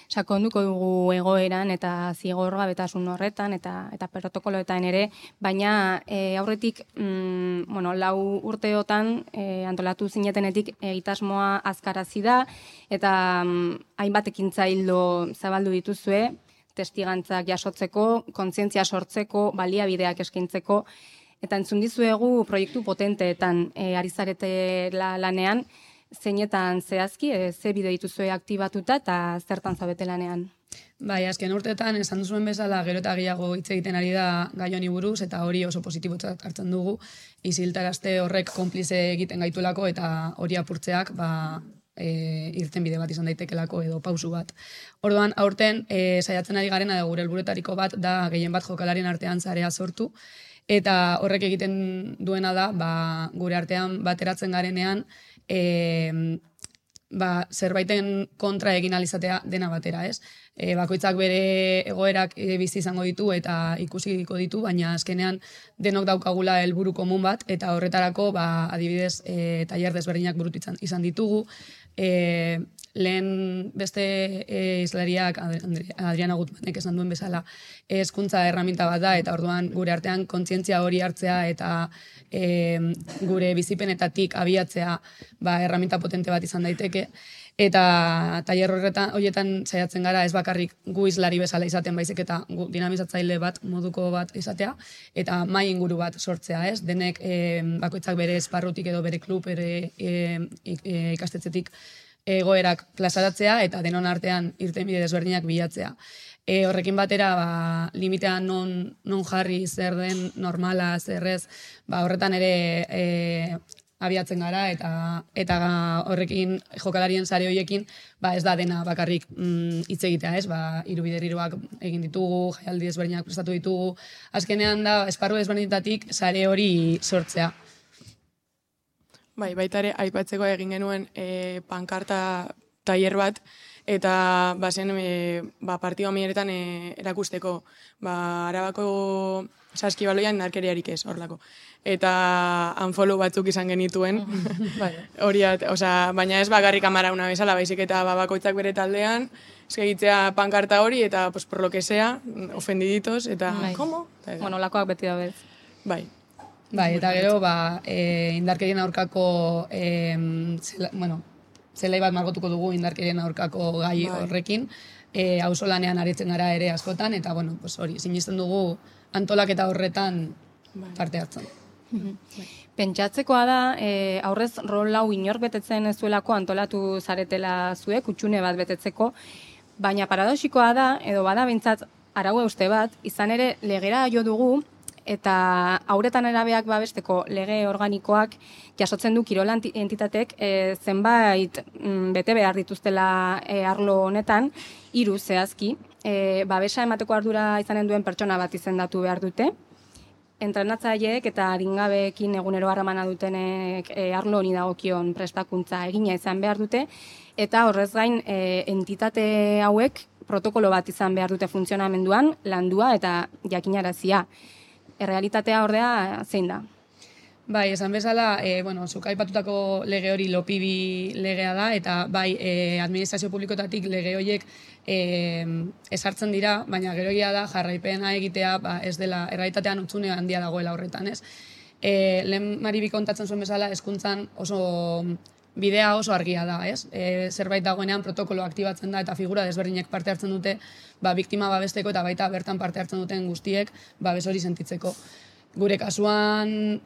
Sakonduko dugu egoeran eta zigorgabetasun horretan eta protokoloetan ere, baina aurretik 4 urteotan antolatu zinetenetik egitasmoa azkarazi da eta hainbat ekintza ildo zabaldu dituzue, testigantzak jasotzeko, kontzientzia sortzeko, baliabideak eskaintzeko, eta entzun dizuegu proiektu potenteetan ari zarete lanean, zeinetan zehazki, ze bide dituzue aktibatuta eta zertan zabete lanean? Bai, azken urteetan esan duzuen bezala gero eta gehiago hitz egiten ari da gai honi buruz eta hori oso positibotzat hartzen dugu, isiltarazte horrek konplize egiten gaituelako eta hori apurtzeak irtenbide bat izan daitekelako edo pausu bat. Orduan, aurten saiatzen ari garena gure helburuetariko bat da gehien bat jokalarien artean sarea sortu, eta horrek egiten duena da gure artean bateratzen garenean zerbaiten kontra egin alizatea dena batera, ez? Bakoitzak bere egoerak bizi izango ditu eta ikusiko ditu, baina azkenean denok daukagula helburu komun bat, eta horretarako adibidez tailer desberdinak burutu izan ditugu. Lehen beste izlariak Adriana Gutmanek esan duen bezala hezkuntza erraminta bat da, eta orduan gure artean kontzientzia hori hartzea eta gure bizipenetatik abiatzea erraminta potente bat izan daiteke. Eta tailer horietan saiatzen gara ez bakarrik gu izlari bezala izaten, baizik eta dinamizatzaile bat, moduko bat izatea, eta mai inguru bat sortzea, ez? Denek bakoitzak bere esparrutik edo bere klub, bere ikastetzetik egoerak plazaratzea eta denon artean irtenbide desberdinak bilatzea. Horrekin batera, limitean non jarri, zer den normala, zerrez, horretan ere abiatzen gara eta horrekin jokalarien sare horiekin ez da dena bakarrik hitz egitea, ez? Hirubiderriroak egin ditugu, jaialdi desberdinak prestatu ditugu. Azkenean da esparru desberdinetatik sare hori sortzea. Baita ere, aipatzeko egin genuen pankarta tailer bat, eta zen partidu amieretan erakusteko Arabako saskibaloian narkeriarik ez, horlako. Eta unfollow batzuk izan genituen, baina ez bakarrik amarauna bezala, baizik eta bakoitzak bere taldean, egitzea pankarta hori, eta por lo que sea, ofendiditos, eta ¿cómo? Lakoak beti da bez. Bai, eta gero, indarkerien aurkako, zelai bat margotuko dugu indarkerien aurkako gai horrekin, auzolanean aritzen gara ere askotan, eta hori, sinisten dugu antolaketa horretan parte hartzen. Pentsatzekoa da, aurrez rol hau inor betetzen ez zuelako antolatu zaretela zuek, utxune bat betetzeko, baina paradoxikoa da, edo bada bintzat arau euste bat, izan ere legera jo dugu, eta hauretan erabeak babesteko lege organikoak jasotzen du kirol entitatek zenbait bete behar dituztela arlo honetan, 3 zehazki, babesa emateko ardura izanen duen pertsona bat izendatu behar dute, entrenatzaileek eta adingabeekin egunero harremana dutenek arlo honi dagokion prestakuntza egina izan behar dute, eta horrez gain entitate hauek protokolo bat izan behar dute funtzionamenduan, landua eta jakinarazia. Errealitatea ordea zein da? Bai, esan bezala, zuk aipatutako lege hori lopibi legea da, eta administrazio publikotatik lege horiek esartzen dira, baina gero egia da jarraipena egitea ez dela errealitatean utzune handia dagoela horretan, ez? Lehen Maribi kontatzen zuen bezala, hezkuntzan bidea oso argia da, ez? Zerbait dagoenean protokolo aktibatzen da eta figura desberdinek parte hartzen dute, biktima babesteko eta baita bertan parte hartzen duten guztiek babes hori sentitzeko. Gure kasuan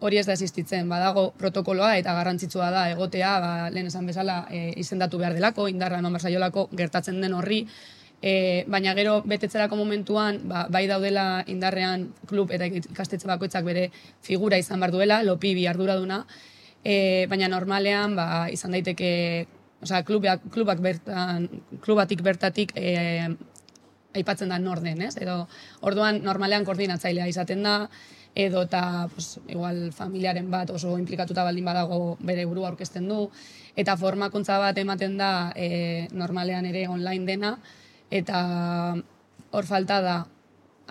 hori ez da existitzen, badago protokoloa eta garrantzitsua da egotea, lehen esan bezala izendatu behar delako, indarra eman barzaiolako gertatzen den horri, baina gero betetzerako momentuan bai daudela indarrean klub eta ikastetxe bakoitzak bere figura izan behar duela, lopibi arduraduna, baina normalean izan daiteke, klubatik bertatik aipatzen da nor den, ez? Edo orduan normalean koordinatzailea izaten da, edo eta igual familiaren bat oso implikatuta baldin badago bere burua aurkezten du, eta formakuntza bat ematen da normalean ere online dena, eta hor falta da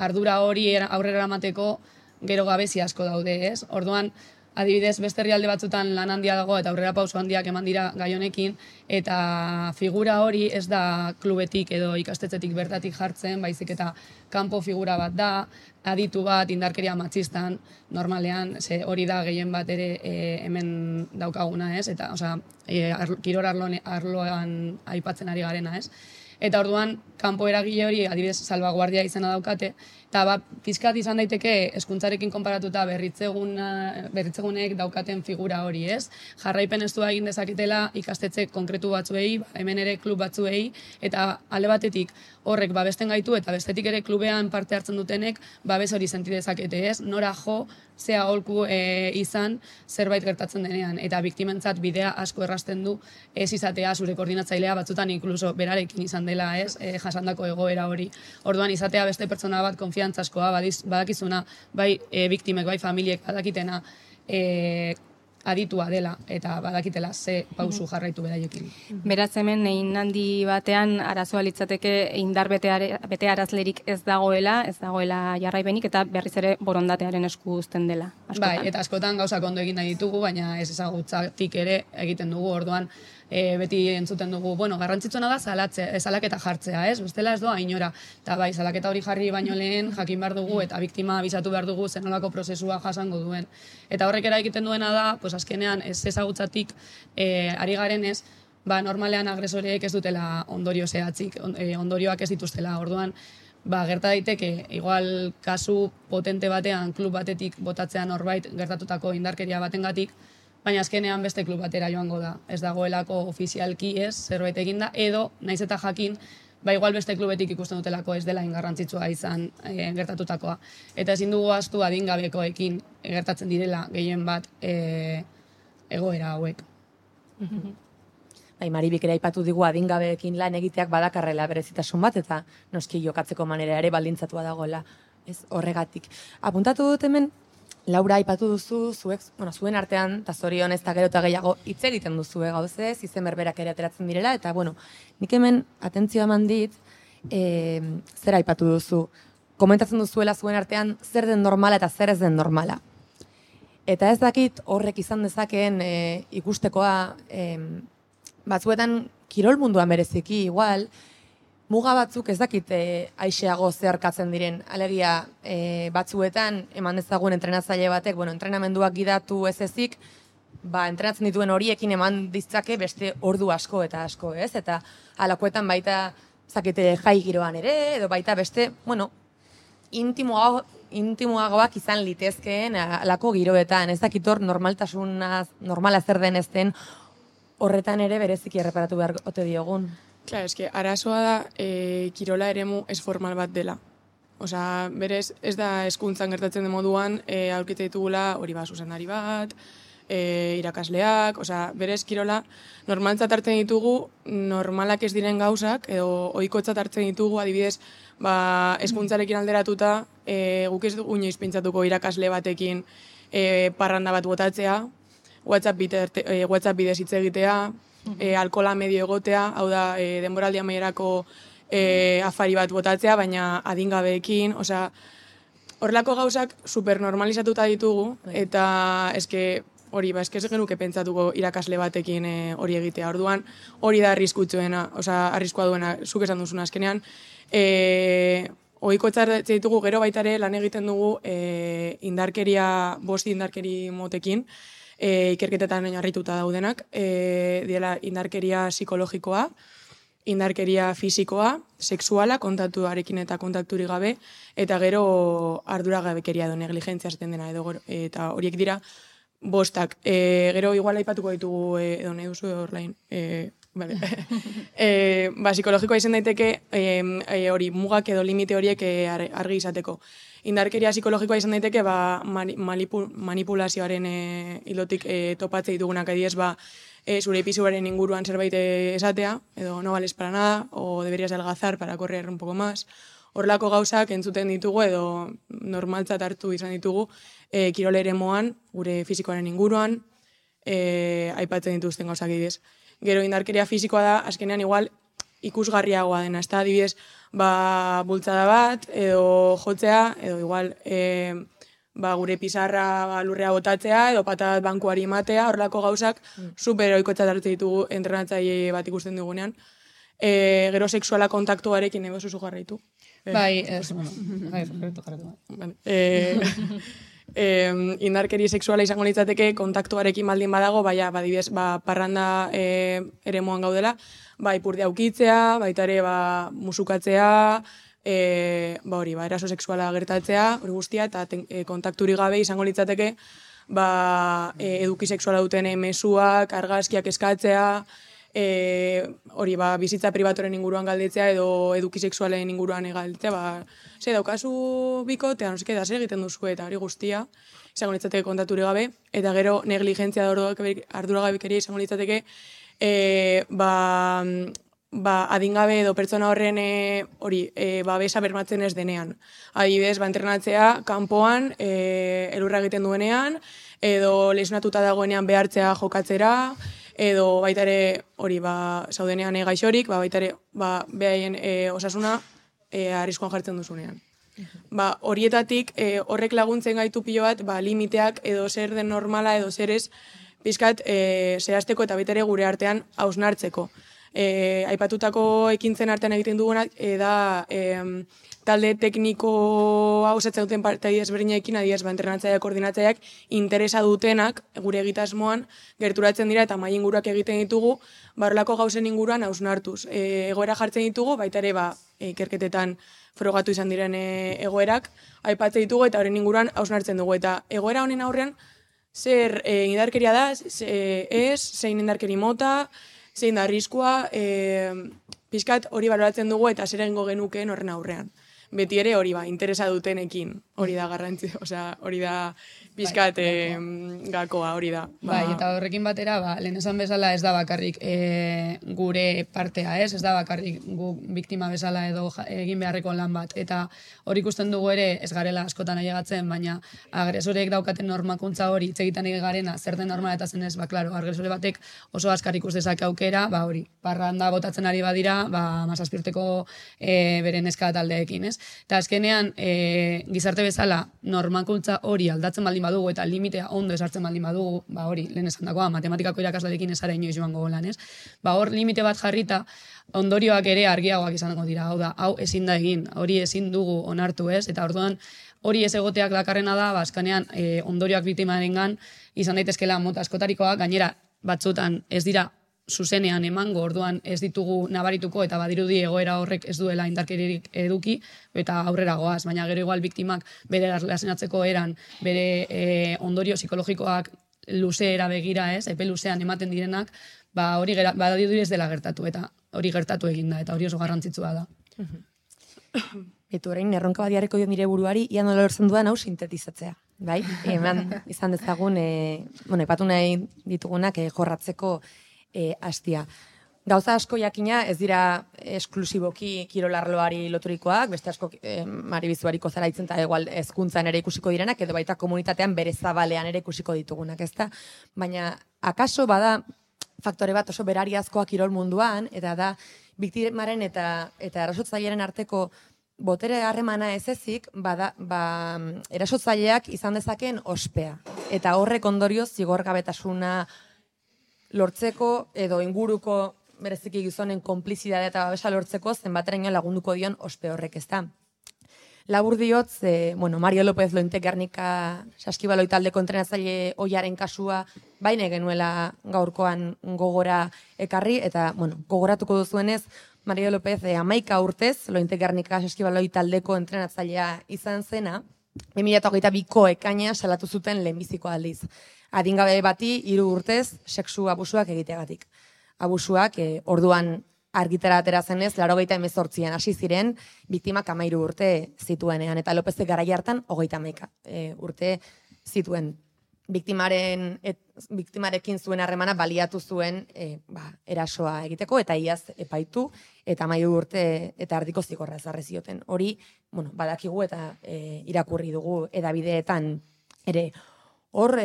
ardura hori aurrera eramateko gero gabezi asko daude, ez? Orduan, adibidez, beste herrialde batzutan lan handia dago eta aurrera pauso handiak eman dira gai honekin, eta figura hori ez da klubetik edo ikastetzetik bertatik jartzen, baizik eta kanpo figura bat da, aditu bat indarkeria matxistan, normalean, hori da gehien bat ere hemen daukaguna, ez? Eta, kirol arloan aipatzen ari garena, ez? Eta orduan, kanpo eragile hori, adibidez, salvaguardia izena daukate, eta pizkat izan daiteke hezkuntzarekin konparatuta berritzegunek daukaten figura hori, ez? Jarraipen estua egin dezaketela ikastetxe konkretu batzuei, hemen ere klub batzuei, eta alde batetik horrek babesten gaitu, eta bestetik ere klubean parte hartzen dutenek babes hori senti dezakete, ez? Nora jo, zea aholku izan zerbait gertatzen denean, eta biktimentzat bidea asko errasten du ez izatea zure koordinatzailea batzutan inkluso berarekin izan dela, ez? Jasandako egoera hori. Orduan izatea beste pertsona bat konfiantzazkoa, badakizuna, bai biktimek, bai familiek badakitena aditua dela, eta badakitela ze pausu jarraitu beraiekin. Beraz hemen egin handi batean arazoa litzateke indar bete arazlerik ez dagoela jarraipenik, eta berriz ere borondatearen esku uzten dela. Bai, eta askotan gauzak ondo egin nahi ditugu, baina ez ezagutzatik ere egiten dugu, orduan beti entzuten dugu, garrantzitsuena da salaketa jartzea, ez? Bestela ez doa inora. Eta bai, salaketa hori jarri baino lehen jakin behar dugu eta biktima abisatu behar dugu zenolako prozesua jasango duen. Eta horrek egiten duena da, azkenean ez ezagutzatik ari garenez, normalean agresoreek ez dutela ondorio zehatzik, ondorioak ez dituztela. Orduan, gerta daiteke, igual kasu potente batean klub batetik botatzea norbait gertatutako indarkeria batengatik, baina azkenean beste klub batera joango da. Ez dagoelako ofizialki ez, zerbait eginda, edo, naiz eta jakin, igual beste klubetik ikusten dutelako ez dela ingarrantzitsua izan gertatutakoa. Eta ezin dugu ahaztu adingabekoekin gertatzen direla gehien bat egoera hauek. Maribik ere aipatu digu adingabeekin lan egiteak badakarrela berezitasun bat, eta noski jokatzeko manera ere baldintzatua dagoela, ez horregatik. Apuntatu dut hemen, Laura, aipatu duzu, zuen artean, eta zorion ez da gero eta gehiago hitz egiten duzu gauzez, izen berberak ere ateratzen direla, eta nik hemen atentzioa eman dit, zer aipatu duzu, komentatzen duzuela zuen artean zer den normala eta zer ez den normala. Eta ez dakit horrek izan dezakeen ikustekoa, batzuetan kirol munduan bereziki igual, muga batzuk ez dakit aixeago zeharkatzen diren. Alegia batzuetan eman dezagun entrenatzaile batek, entrenamenduak gidatu ez ezik, entrenatzen dituen horiekin eman ditzake beste ordu asko eta asko, ez? Eta alakoetan baita zakete jai giroan ere, edo baita beste, intimoagoak izan litezkeen alako giroetan. Ez dakit hor normala zer den ez den horretan ere bereziki erreparatu behar ote diogun. Claro, arazoa da kirola eremu ez formal bat dela. Berez, ez da hezkuntzan gertatzen den moduan, aurkitzen ditugula hori zuzendari bat, irakasleak, berez kirola normaltzat hartzen ditugu, normalak ez diren gauzak, edo ohikotzat hartzen ditugu, adibidez, hezkuntzarekin alderatuta, guk ez dugu inoiz pentsatuko irakasle batekin parranda bat botatzea, WhatsApp bidez hitz egitea, alkola medio egotea, hau da, denboraldi amaierako afari bat botatzea, baina adingabeekin, horrelako gauzak supernormalizatuta ditugu, eta hori, ez genuke pentsatuko irakasle batekin hori egitea. Orduan, hori da arriskua duena, zuk esan duzuna azkenean. Ohiko etxartzen ditugu, gero baitare lan egiten dugu bost indarkeri motekin, ikerketetan oinarrituta daudenak, diela indarkeria psikologikoa, indarkeria fisikoa, sexuala, kontaktuarekin eta kontakturi gabe, eta gero arduragabekeria edo negligentzia zaten dena, eta horiek dira bostak. Gero igual aipatuko ditugu edo nahi duzu horrein. Vale. Psikologikoa izan daiteke hori mugak edo limite horiek argi izateko. Indarkeria psikologikoa izan daiteke manipulazioaren hilotik topatze ditugunak adibidez zure pisuaren inguruan zerbait esatea, edo no vales para nada, o deberías adelgazar para correr un poco más. Horrelako gauzak entzuten ditugu edo normaltzat hartu izan ditugu kirol eremuan, gure fisikoaren inguruan, aipatzen dituzten gauzak adibidez. Gero indarkeria fisikoa da, azkenean igual ikusgarriagoa dena, ez da, adibidez, bultzada bat, edo jotzea, edo igual gure pizarra lurrea botatzea, edo patat bankuari matea, horrelako gauzak super oikotzat hartzen ditugu entrenatzaile bat ikusten dugunean. Gero sexuala kontaktuarekin ego zuzu jarraitu. Bai, indarkeri sexuala izango litzateke kontaktuarekin baldin badago, badibidez, parranda eremuan gaudela, ipurdia ukitzea, baita ere musukatzea, eraso sexuala gertatzea, hori guztia, eta kontakturi gabe izango litzateke, eduki sexuala duten mezuak, argazkiak eskatzea, bizitza pribatoren inguruan galdetzea edo eduki sexualen inguruan galdetzea, ze daukazu bikotea, noseke da zer egiten duzu eta hori guztia, izango litzateke kontakturi gabe, eta gero negligentzia da arduragabekeria izango litzateke, adingabe edo pertsona horren babesa bermatzen ez denean. Adibidez, entrenatzea kanpoan, elurra egiten duenean, edo lesionatuta dagoenean behartzea jokatzera, edo baita ere zaudenean gaixorik, baita ere behaien osasuna arriskuan jartzen duzunean. Horietatik horrek laguntzen gaitu pilo bat limiteak edo zer den normala edo zer ez pizkat zehazteko eta baita ere gure artean hausnartzeko. Aipatutako ekintzen artean egiten dugunak da talde tekniko osatzen duten partai ezberdinekin, adibidez, entrenatzaileak, koordinatzaileak interesa dutenak gure egitasmoan gerturatzen dira eta mahai inguruak egiten ditugu, horrelako gauzen inguruan hausnartuz. Egoera jartzen ditugu, baita ere ikerketetan frogatu izan diren egoerak, aipatzen ditugu eta horren inguruan hausnartzen dugu. Eta egoera honen aurrean, zer indarkeria da, zein indarkeri mota, zein da arriskua, pizkat hori baloratzen dugu eta zer egingo genukeen horren aurrean. Beti ere hori interesa dutenekin, hori da garrantzi, hori da pizkat gakoa, hori da. Bai, eta horrekin batera, lehen esan bezala ez da bakarrik gure partea, ez da bakarrik gu biktima bezala edo egin beharreko lan bat. Eta hori ikusten dugu ere ez garela askotan ailegatzen, baina agresorek daukaten normakuntza hori hitz egiten garena, zer den normala eta zen ez, klaro, agresore batek oso askar ikus dezake aukera, hori, parranda botatzen ari badira, 17 urteko beren neska taldeekin, ez? Eta azkenean, gizarte bezala, normakuntza hori aldatzen baldin badugu eta limitea ondo esartzen baldin badugu, hori, lehen esan dagoa, matematikako irakasleekin esara inoiz joango golan, ez? Hor limite bat jarrita, ondorioak ere argiagoak izango dira, hau ezin da egin, hori ezin dugu onartu, ez? Eta orduan, hori ez egoteak dakarrena da, azkenean, ondorioak biktimarengan izan daitezkela mota askotarikoak, gainera batzutan ez dira zuzenean emango, orduan ez ditugu nabarituko eta badirudi egoera horrek ez duela indarkeririk eduki eta aurrera goaz, baina gero igual biktimak bere erlazionatzeko eran, bere ondorio psikologikoak luzeera begira, ez, epe luzean ematen direnak, hori badirudi ez dela gertatu eta hori gertatu eginda eta hori oso garrantzitsua da. Eta orain erronka bat jarriko dio nire buruari, ia nola lortzen dudan hau sintetizatzea. Bai? Izan dezagun, epatu nahi ditugunak jorratzeko hastia. Gauza asko jakina ez dira esklusiboki kirolarloari loturikoak, beste asko maribizuariko zaraitzen eta igual hezkuntzan ere ikusiko direnak, edo baita komunitatean bere zabalean ere ikusiko ditugunak, ezta? Baina, akaso bada faktore bat oso berariazkoa kirol munduan, eta da biktimaren eta erasotzailearen arteko botere harremana ez ezik, erasotzaileak izan dezakeen ospea. Eta horrek ondorioz zigorgabetasuna lortzeko edo inguruko bereziki gizonen konplizidadea eta babesa lortzeko zenbateraino lagunduko dion ospe horrek, ezta. Labur diot, Mario López Lointek Gernika saskibaloi taldeko entrenatzaile ohiaren kasua baina genuela gaurkoan gogora ekarri, eta gogoratuko duzuenez, Mario López 11 urtez Lointek Gernika saskibaloi taldeko entrenatzailea izan zena, 2022ko ekaina salatu zuten lehenbiziko aldiz. Adingabe bati 3 urtez sexu abusuak egiteagatik. abusuak, orduan argitara atera zenez, 88an hasi ziren, biktimak 13 urte zituenean, eta Lopezek garai hartan 31 urte zituen. Biktimarekin zuen harremana baliatu zuen erasoa egiteko, eta iaz epaitu, eta 13 urte eta erdiko zigorra ezarri zioten. Hori, badakigu eta irakurri dugu edabideetan ere. Hor,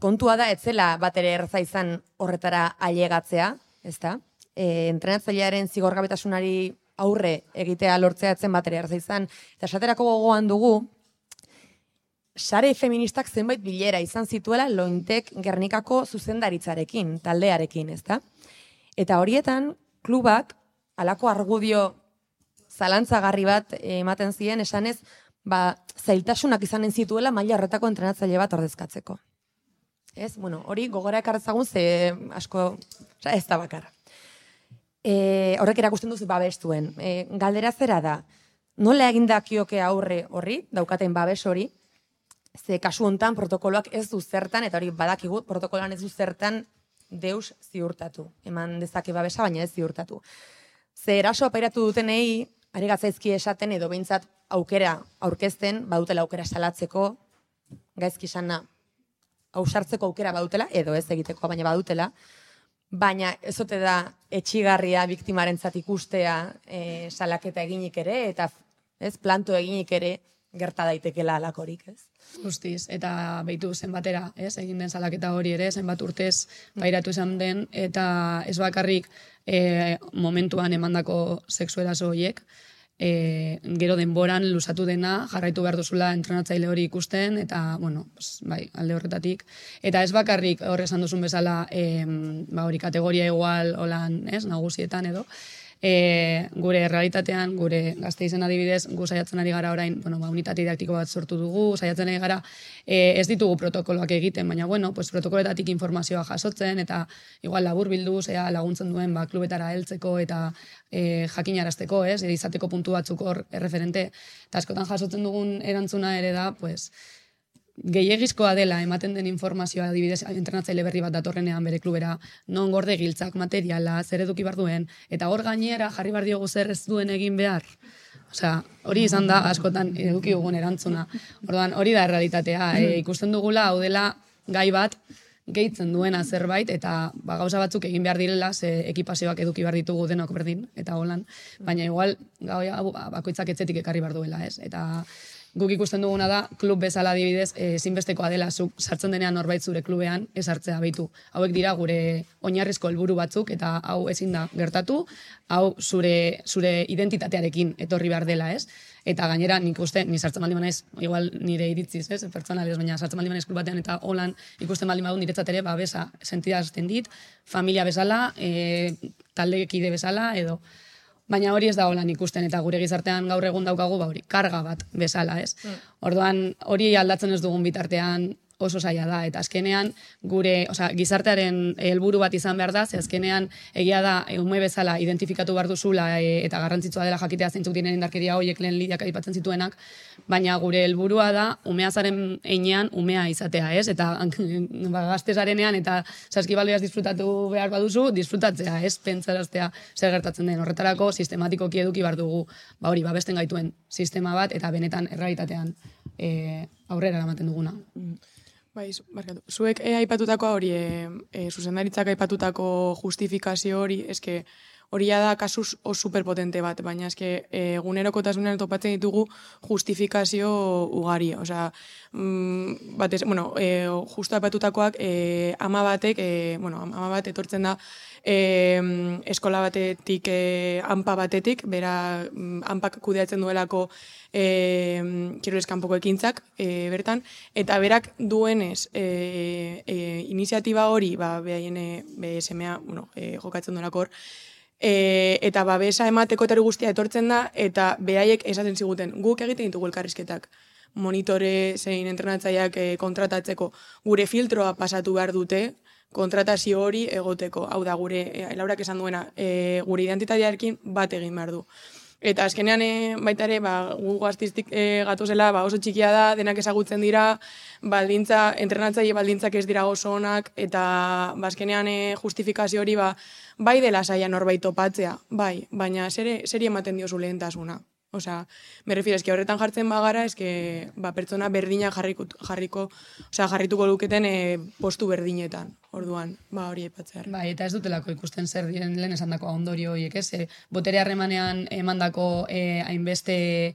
kontua da, etzela bat ere erraza izan horretara ailegatzea, ezta? Entrenatzailearen zigorgabetasunari aurre egitea lortzea etzen bat ere erraza izan, eta esaterako gogoan dugu, sare feministak zenbait bilera izan zituela Lointek Gernikako zuzendaritzarekin, taldearekin, ezta? Eta horietan, klubak, halako argudio zalantzagarri bat ematen ziren, esanez, zailtasunak izanen zituela maila horretako entrenatzaile bat ordezkatzeko. Ez? Hori gogora ekarrezagun ze asko, ez da bakarra. Horrek erakusten duzu babestuen. Galdera zera da, nola egindakioke aurre horri, daukaten babes hori, ze kasu hontan protokoloak ez du zertan, eta hori badakigu, protokoloan ez du zertan deus ziurtatu. Eman dezake babesa, baina ez ziurtatu. Ze eraso apairatu dutenei, are gatzaizki esaten edo behintzat aukera aurkezten, badutela aukera salatzeko, gaizki sana ausartzeko aukera badutela, edo ez egiteko, baina badutela, baina ez ote da etxigarria biktimarentzat ikustea salaketa eginik ere, eta planto eginik ere gerta daitekela alakorik, ez? Justiz, eta behitu zenbatera, egin den salaketa hori ere, zenbat urtez pairatu izan den, eta ez bakarrik momentuan emandako sexu eraso horiek, gero denboran luzatu dena, jarraitu behar duzula entrenatzaile hori ikusten, eta, alde horretatik. Eta ez bakarrik hor esan duzun bezala, hori kategoria igual holan, nagusietan edo, gure realitatean, gure Gasteizen adibidez, gu saiatzen ari gara orain, unitate didaktiko bat sortu dugu, saiatzen ari gara, ez ditugu protokoloak egiten, baina, protokoloetatik informazioa jasotzen, eta igual labur bildu, laguntzen duen, klubetara heltzeko, eta jakinarazteko, izateko puntu batzuk hor erreferente, eta askotan jasotzen dugun erantzuna ere da, gehiegizkoa dela ematen den informazioa adibidez entrenatzaile berri bat datorrenean bere klubera, non gorde giltzak, materiala, zer eduki behar duen, eta hor gainera jarri behar diogu zer ez duen egin behar. Hori izan da askotan eduki dugun erantzuna. Orduan, hori da errealitatea. Ikusten dugula, hau dela gai bat gehitzen duena zerbait, eta gauza batzuk egin behar direla, ze ekipazioak eduki behar ditugu denok berdin, eta holan. Baina igual, bakoitzak etzetik ekarri behar duela, ez? Eta guk ikusten duguna da, klub bezala adibidez, ezinbestekoa dela zuk sartzen denean norbait zure klubean ez hartzea behitu. Hauek dira gure oinarrizko helburu batzuk, eta hau ezin da gertatu, hau zure identitatearekin etorri behar dela, ez? Eta gainera, nik uste, ni sartzen baldin banaiz, igual nire iritziz, ez? Pertsonalez, baina sartzen baldin banaiz klub batean, eta holan ikusten baldin badu niretzat ere, besa, sentidazten dit, familia bezala, taldekide bezala, edo... Baina hori ez da holan ikusten, eta gure gizartean gaur egun daukagu, hori, karga bat bezala, ez? Orduan, hori aldatzen ez dugun bitartean oso zaila da, eta azkenean gure, gizartearen helburu bat izan behar da, ze azkenean egia da ume bezala identifikatu behar duzula eta garrantzitsua dela jakitea zeintzuk diren indarkeria horiek lehen Lidiak aipatzen zituenak, baina gure helburua da umeazaren heinean umea izatea, ez? Eta gaztezarenean eta saskibaloiaz disfrutatu behar baduzu, disfrutatzea, ez? Pentsaraztea zer gertatzen den. Horretarako sistematikoki eduki behar dugu, hori, babesten gaituen sistema bat, eta benetan errealitatean aurrera eramaten duguna. Bai, barkatu. Zuek aipatutako hori, zuzendaritzak aipatutako justifikazio hori, eske hori da kasuz superpotente bat, baina eske egunerokotasunean topatzen ditugu justifikazio ugari. Osea, justu aipatutakoak ama bat etortzen da eskola batetik, hanpa batetik, bera hanpak kudeatzen duelako kirolez kanpoko ekintzak bertan, eta berak duenez iniziatiba hori, behaien BSMA jokatzen duelako hor, eta babesa emateko eta guztia etortzen da, eta behaiek esaten ziguten, guk egiten ditugu elkarrizketak, monitore zein entrenatzaileak kontratatzeko, gure filtroa pasatu behar dute, kontratazio hori egoteko. Hau da, Laurak esan duena, gure identitatearekin bat egin behar du. Eta azkenean baita ere, gu gaztiztik gatuzela oso txikia da, denak ezagutzen dira, entrenatzaile baldintzak ez dira oso onak, eta azkenean justifikazio hori bai dela saia norbait topatzea, bai, baina zeri ematen diozu lehentasuna. Osea, me refiero, eske horretan jartzen bagara, eske pertsona berdina jarrituko luketen postu berdinetan. Orduan, hori aipatzea. Bai, eta ez dutelako ikusten zer diren lehen esandako ondorio horiek, ez? Botere harremanean emandako hainbeste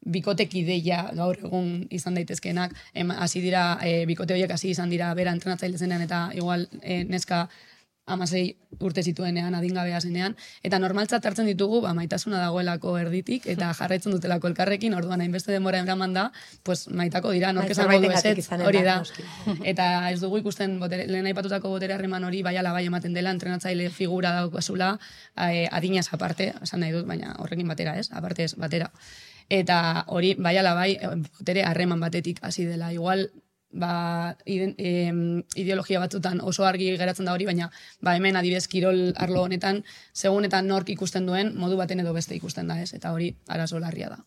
bikotek ideia gaur egun izan daitezkeenak, hasi dira, bikote horiek hasi izan dira bera entrenatzaile zenean, eta igual neska 16 urte zituenean, adingabea zenean, eta normaltzat hartzen ditugu, maitasuna dagoelako erditik, eta jarraitzen dutelako elkarrekin, orduan hainbeste denbora eraman da, pues maitako dira, nork esango du ezetz, hori da. Eta ez dugu ikusten, lehen aipatutako botere harreman hori bai ala bai ematen dela, entrenatzaile figura daukazula, adinaz aparte, esan nahi dut, baina horrekin batera ez, aparte ez, batera. Eta hori bai ala bai, botere harreman batetik hasi dela, igual, ideologia batzutan oso argi geratzen da hori, baina hemen adibidez kirol arlo honetan, segun eta nork ikusten duen, modu baten edo beste ikusten da, ez? Eta hori arazo larria da.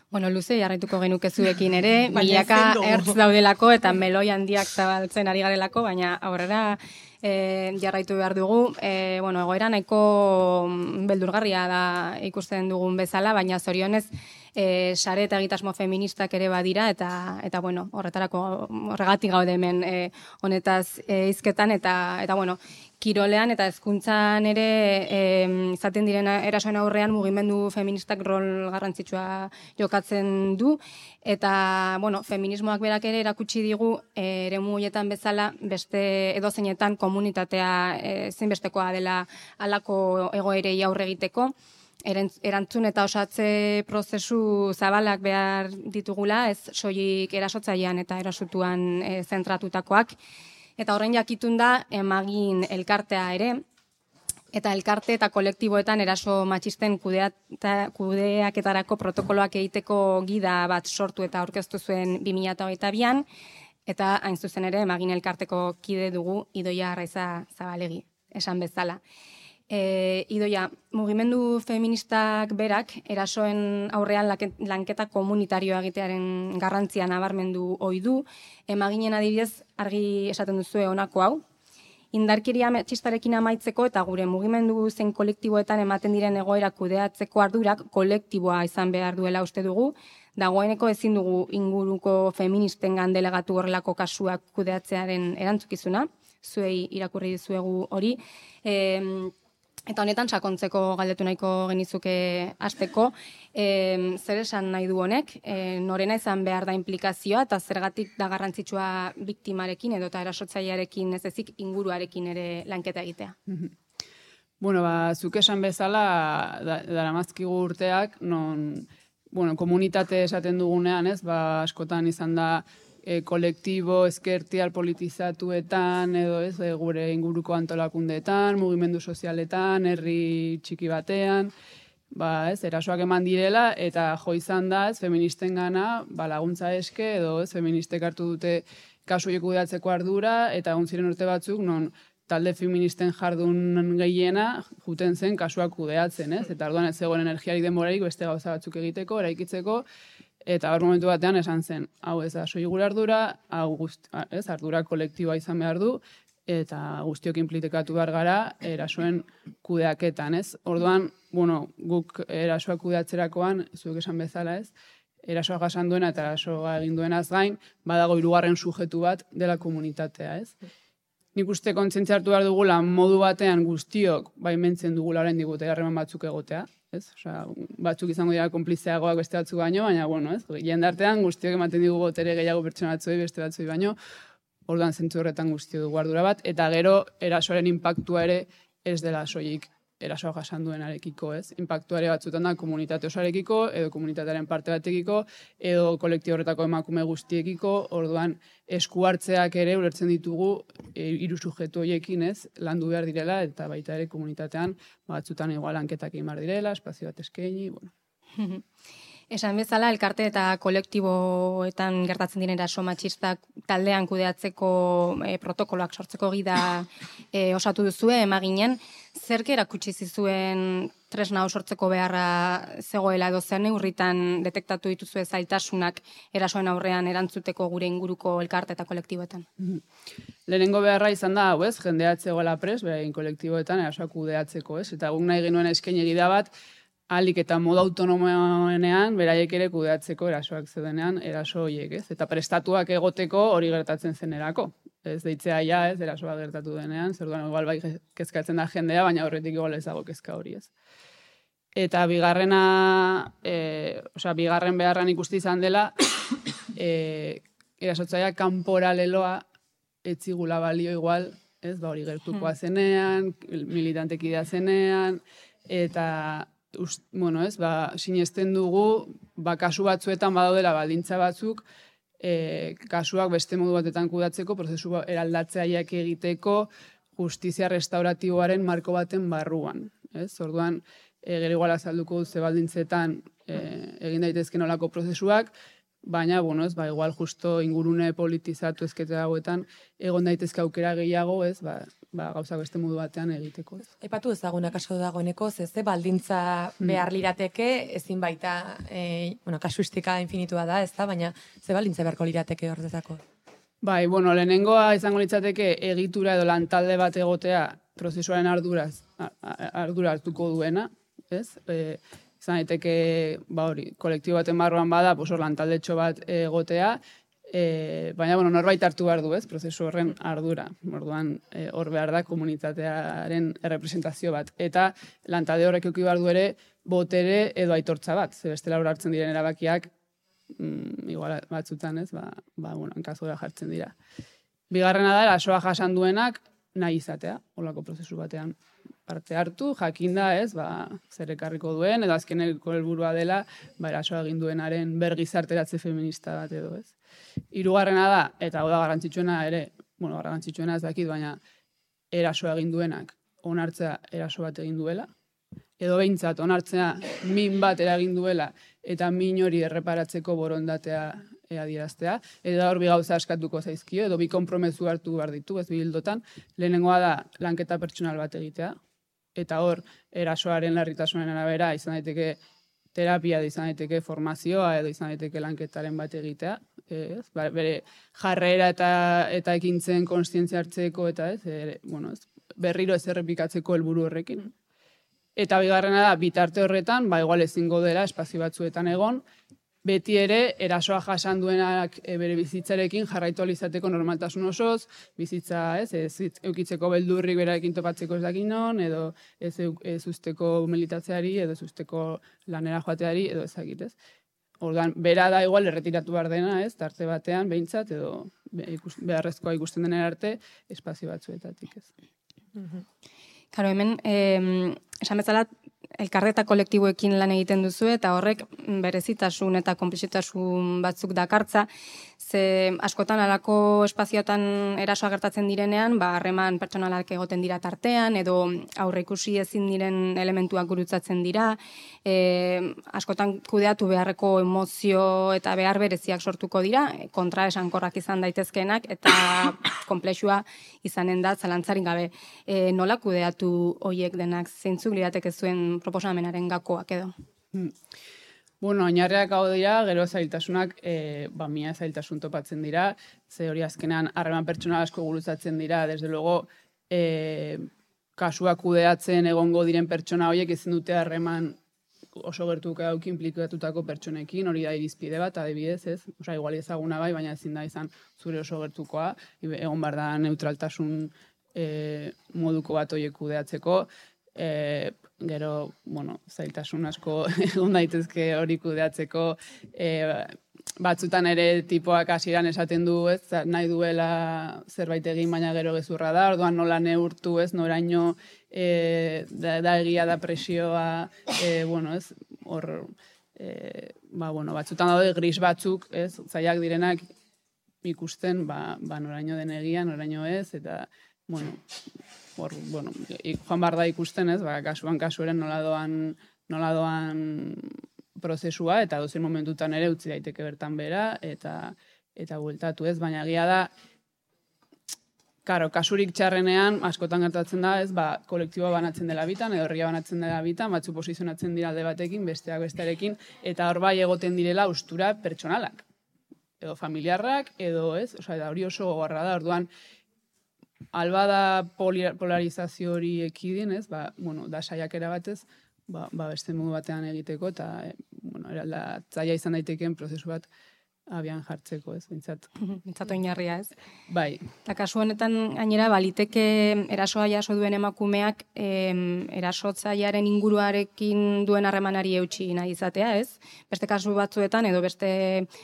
Bueno, luze, jarraituko genuke zuekin ere, milaka ertz daudelako eta meloi handiak zabaltzen ari garelako, baina aurrera jarraitu behar dugu. Egoera nahiko beldurgarria da ikusten dugun bezala, baina zorionez sare eta egitasmo feministak ere badira, eta horregatik gaude hemen honetaz hizketan, eta kirolean eta hezkuntzan ere izaten diren erasoen aurrean mugimendu feministak rol garrantzitsua jokatzen du, eta feminismoak berak ere erakutsi digu eremu horietan bezala beste edozeinetan komunitatea zinbestekoa dela halako egoerei aurre egiteko, erantzun eta osatze prozesu zabalak behar ditugula, ez soilik erasotzailean eta erasotuan zentratutakoak. Eta horren jakitun da emagin elkartea ere, eta elkarte eta kolektiboetan eraso matxisten kudeaketarako protokoloak egiteko gida bat sortu eta aurkeztu zuen 2022an, eta hain zuzen ere emagin elkarteko kide dugu Idoia Arraiza Zabalegi, esan bezala. Idoia, mugimendu feministak berak erasoen aurrean lanketa komunitarioa egitearen garrantzia nabarmendu ohi du, emaginen adibidez argi esaten duzue honako hau. Indarkeria matxistarekin amaitzeko eta gure mugimendu zein kolektiboetan ematen diren egoera kudeatzeko ardurak kolektiboa izan behar duela uste dugu, dagoeneko ezin dugu inguruko feministengan delegatu horrelako kasuak kudeatzearen erantzukizuna, zuei irakurri dizuegu hori, eta honetan sakontzeko galdetu nahiko genizuke hasteko, zer esan nahi du honek, norena izan behar da implikazioa eta zergatik da garrantzitsua biktimarekin edo eta erasotzailearekin ez ezik inguruarekin ere lanketa egitea. Zuk esan bezala daramazkigu urteak, komunitate esaten dugunean, askotan izan da kolektibo, ezkertial politizatuetan, edo gure inguruko antolakundeetan, mugimendu sozialetan, herri txiki batean, erasoak eman direla, eta jo izan da, feministen gana, laguntza eske, edo feministek hartu dute kasu horiek kudeatzeko ardura, eta egon ziren urte batzuk, non talde feministen jardun gehiena juten zen kasuak kudeatzen, eta orduan ez zegoen energiarik denborarik beste gauza batzuk egiteko, eraikitzeko, eta hor momentu batean esan zen, hau ez da soilik gure ardura, ardura kolektiboa izan behar du, eta guztiok implikatu behar gara erasoen kudeaketan, ez? Orduan, guk erasoak kudeatzerakoan, zuek esan bezala, ez? Erasoa jasan duena eta erasoa egin duenaz gain, badago hirugarren sujetu bat dela komunitatea, ez? Nik uste kontzientzia hartu behar dugula modu batean guztiok baimentzen dugula orain digute harreman batzuk egotea, ez? Osea, batzuk izango dira konplizeagoak beste batzuk baino, baina jendartean guztiok ematen digu botere gehiago pertsona batzuei beste batzuei baino, orduan zentzu horretan guztio dugu ardura bat, eta gero erasoaren inpaktua ere ez dela soilik erasoa jasan duenarekiko, ez? Inpaktua ere batzutan da komunitate osoarekiko, edo komunitatearen parte batekiko, edo kolektibo horretako emakume guztiekiko, orduan esku hartzeak ere ulertzen ditugu hiru subjektu horiekin, ez? Landu behar direla, eta baita ere komunitatean batzutan igual lanketak egin behar direla, espazio bat eskaini, Esan bezala, elkarte eta kolektiboetan gertatzen diren eraso matxistak taldean kudeatzeko protokoloak sortzeko gida osatu duzue, emaginen, zerk erakutsi zizuen tresna hau sortzeko beharra zegoela edo zer neurritan detektatu dituzue zailtasunak erasoen aurrean erantzuteko gure inguruko elkarte eta kolektiboetan? Lehenengo beharra izan da, hau ez, jendea zegoela pres, beraien kolektiboetan erasoak kudeatzeko, ez? Eta guk nahi genuen eskaini gida bat, ahalik eta modu autonomoenean, beraiek ere kudeatzeko erasoak zeudenean, eraso horiek, ez? Eta prestatuak egoteko hori gertatzen zenerako. Ez deitzea ja, ez, erasoa gertatu denean, zerduan igual bai kezkatzen da jendea, baina horretik igual ez dago kezka hori, ez. Eta bigarren beharran ikusti izan dela, erasotzaia kanpora leloa etzigula balio igual, ez, ba hori gertukoa zenean, militantekidea zenean, eta bueno, ez, ba, sinesten dugu, ba, kasu batzuetan badaudela baldintza batzuk, kasuak beste modu batetan kudatzeko, prozesu eraldatzaileak egiteko, justizia restauratiboaren marko baten barruan. Ez? Orduan, gero igual azalduko ze baldintzetan egin daitezken olako prozesuak, baina, bueno, ez, ba, igual justo ingurune politizatu ezkete dagoetan, egon daitezke aukera gehiago, ez, ba, gauzak beste modu batean egiteko. Aipatu ezagunak kaso dagoeneko, ze baldintza behar lirateke, ezin baita, kasuistika infinitua da, ez da, baina ze baldintza beharko lirateke horretako? Bai, bueno, lehenengoa izango litzateke egitura edo lantalde bat egotea prozesuaren ardura hartuko duena, ez? Izan daiteke, ba hori, kolektibo baten barruan bada, hor lantaldetxo bat egotea, baina, bueno, norbait hartu behar du, ez, prozesu horren ardura. Orduan, hor behar da komunitatearen errepresentazio bat. Eta lantalde horrek eduki behar du ere botere edo aitortza bat. Ze bestela hor hartzen diren erabakiak, igual batzutan, ez, bueno, enkazora jartzen dira. Bigarrena da, erasoa jasan duenak nahi izatea, holako prozesu batean parte hartu, jakinda, ez, zer ekarriko duen, edo azkeneko helburua dela, erasoa egin duenaren bergizarteratze feminista bat edo, ez. Hirugarrena da, eta hau da garrantzitsuena ere, bueno, garrantzitsuena ez dakit, baina erasoa egin duenak onartzea eraso bat egin duela, edo behintzat onartzea min bat eragin duela, eta min hori erreparatzeko borondatea adieraztea, eta hor bi gauza askatuko zaizkio, edo bi konpromezu hartu behar ditu, ez bildotan, lehenengoa da lanketa pertsonal bat egitea, eta hor erasoaren larritasunen arabera izan daiteke terapia, izan daiteke formazioa, edo izan daiteke lanketaren bat egitea, bere jarrera eta ekintzen konstientzia hartzeko, eta berriro ez errepikatzeko helburu horrekin. Eta bigarrena da, bitarte horretan, igual ezingo dela espazio batzuetan egon, beti ere, erasoa jasan duenak bere bizitzarekin jarraitu alizateko normaltasun osoz, bizitza ez eukitzeko beldurrik berarekin topatzeko ez dakin non, edo ez usteko militatzeari, edo ez usteko lanera joateari, edo ezagit, ez. Orduan, bera da igual erretiratu behar dena, ez, tarte batean, behintzat, edo beharrezkoa ikusten denen arte, espazio batzuetatik, ez. Karo, hemen, esan bezala, elkarre eta kolektiboekin lan egiten duzu, eta horrek berezitasun eta konplexitasun batzuk dakartza, ze askotan alako espazioetan erasoa gertatzen direnean, harreman pertsonalak egoten dira tartean, edo aurre ikusi ezin diren elementuak gurutzatzen dira, askotan kudeatu beharreko emozio eta behar bereziak sortuko dira, kontra esankorrak izan daitezkeenak, eta konplexua izanen da, zalantzarik gabe. Nola kudeatu hoiek denak, zeintzuk lirateke zuen proposamenaren gakoak edo? Bueno, oinarriak hau dira, gero zailtasunak, mia zailtasun topatzen dira, ze hori azkenean harreman pertsonal asko gurutzatzen dira, desde luego, kasuak kudeatzen egongo diren pertsona horiek ezin dute harreman oso gertuko dauki implikatutako pertsonekin, hori da irizpide bat, adibidez, ez? Osa, igual ezaguna bai, baina ezin da izan zure oso gertukoa, egon behar da neutraltasun moduko bat horiek kudeatzeko, gero, bueno, zailtasun asko egon daitezke hori kudeatzeko, batzutan ere tipoak hasieran esaten du, ez, nahi duela zerbait egin, baina gero gezurra da, orduan nola neurtu, ez, noraino da egia da presioa, bueno, ez, hor, batzutan daude gris batzuk, ez, zaiak direnak ikusten, noraino den egia, noraino ez, eta, bueno, joan behar da ikusten, ez, kasuan kasueren nola doan prozesua, eta dozen momentutan ere utzi daiteke bertan bera, eta bueltatu ez, baina egia da, karo, kasurik txarrenean, askotan gertatzen da, ez, kolektiboa banatzen dela bitan, edo herria banatzen dela bitan, batzu posizionatzen dira alde batekin, besteak bestearekin, eta hor bai egoten direla ustura pertsonalak. Edo familiarrak, edo ez, da hori oso gogorra da, orduan, alba da polarizazio hori ekidin, ez, da saiakera batez, beste modu batean egiteko, eta, zaila izan daitekeen prozesu bat abian jartzeko, ez, bintzat. Bintzat oinarria, ez? Bai. Eta kasu honetan, gainera, baliteke erasoa jaso duen emakumeak erasotzailearen inguruarekin duen harremanari eutsi nahi izatea, ez? Beste kasu batzuetan, edo beste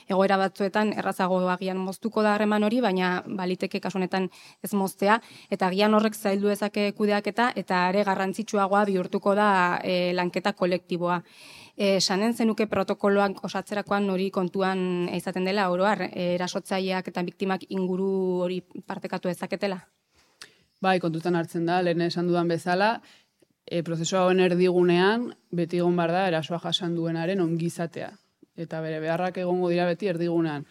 egoera batzuetan, errazago agian moztuko da harreman hori, baina baliteke kasu honetan ez moztea, eta agian horrek zaildu ezake kudeaketa, eta are garrantzitsuagoa bihurtuko da lanketa kolektiboa. Sanen zenuke protokoloak osatzerakoan hori kontuan izaten dela, oroar, erasotzaileak eta biktimak inguru hori partekatu ezaketela? Bai, kontutan hartzen da, lehen esan dudan bezala, prozesua honen erdigunean, beti egon bar da, erasoa jasan duenaren ongizatea. Eta bere beharrak egongo dira beti erdigunean.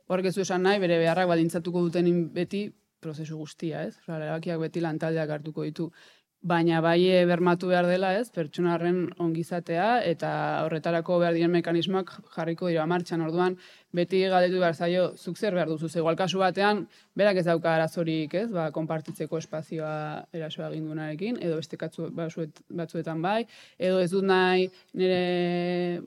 Horrek ez du esan nahi, bere beharrak baldintzatuko duten beti prozesu guztia, ez? Erabakiak beti lantaldeak hartuko ditu. Baina bai bermatu behar dela, ez, pertsonarren ongizatea, eta horretarako behar diren mekanismoak jarriko dira martxan. Orduan, beti galdetu behar zaio, zuk zer behar duzu, igual kasu batean, berak ez dauka arazorik, ez, konpartitzeko espazioa erasoa egindunarekin, edo beste batzuetan bai, edo ez dut nahi nire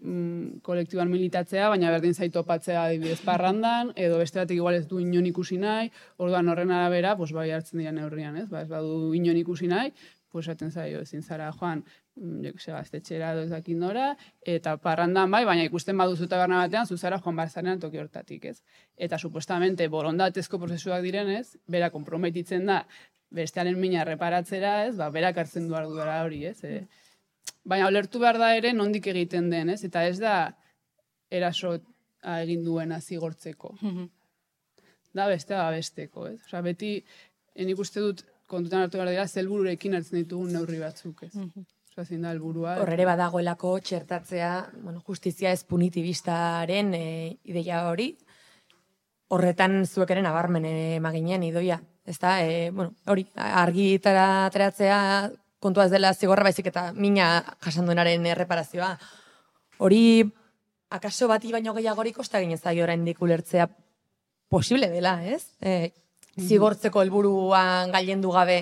kolektiboan militatzea, baina berdin zait topatzea adibidez parrandan, edo beste batek igual ez du inon ikusi nahi, orduan horren arabera, bai hartzen dira neurrian, ez, ez badu inon ikusi nahi, esaten zaio, ezin zara joan, gaztetxera edo ezakin dora, eta parrandan bai, baina ikusten baduzu taberna batean, zuzara joan barzanean toki hortatik, ez? Eta supuestamente borondatezko prozesuak direnez, bera konprometitzen da, bestearen mina reparatzera, ez? Berak hartzen du ardura hori, ez? Baina ulertu behar da ere nondik egiten den, ez? Eta ez da eraso egin duena zigortzeko. Da bestea besteko, ez? Osa, beti, nik uste dut, kontutan hartu behar dira, zelbururekin hartzen ditugun neurri batzuk, ez? Osa, zein da helburua. Horrere badagoelako txertatzea, justizia ez punitibistaren ideia hori, horretan zuekeren nabarmen emaginean idoia. Ez da, hori, argitara ateratzea kontua ez dela zigorra baizik eta mina jasanduenaren erreparazioa. Hori, akaso bati baino gehiagorik kosta ginezaio oraindik ulertzea posible dela, ez? Zigortzeko helburuan gailendu gabe.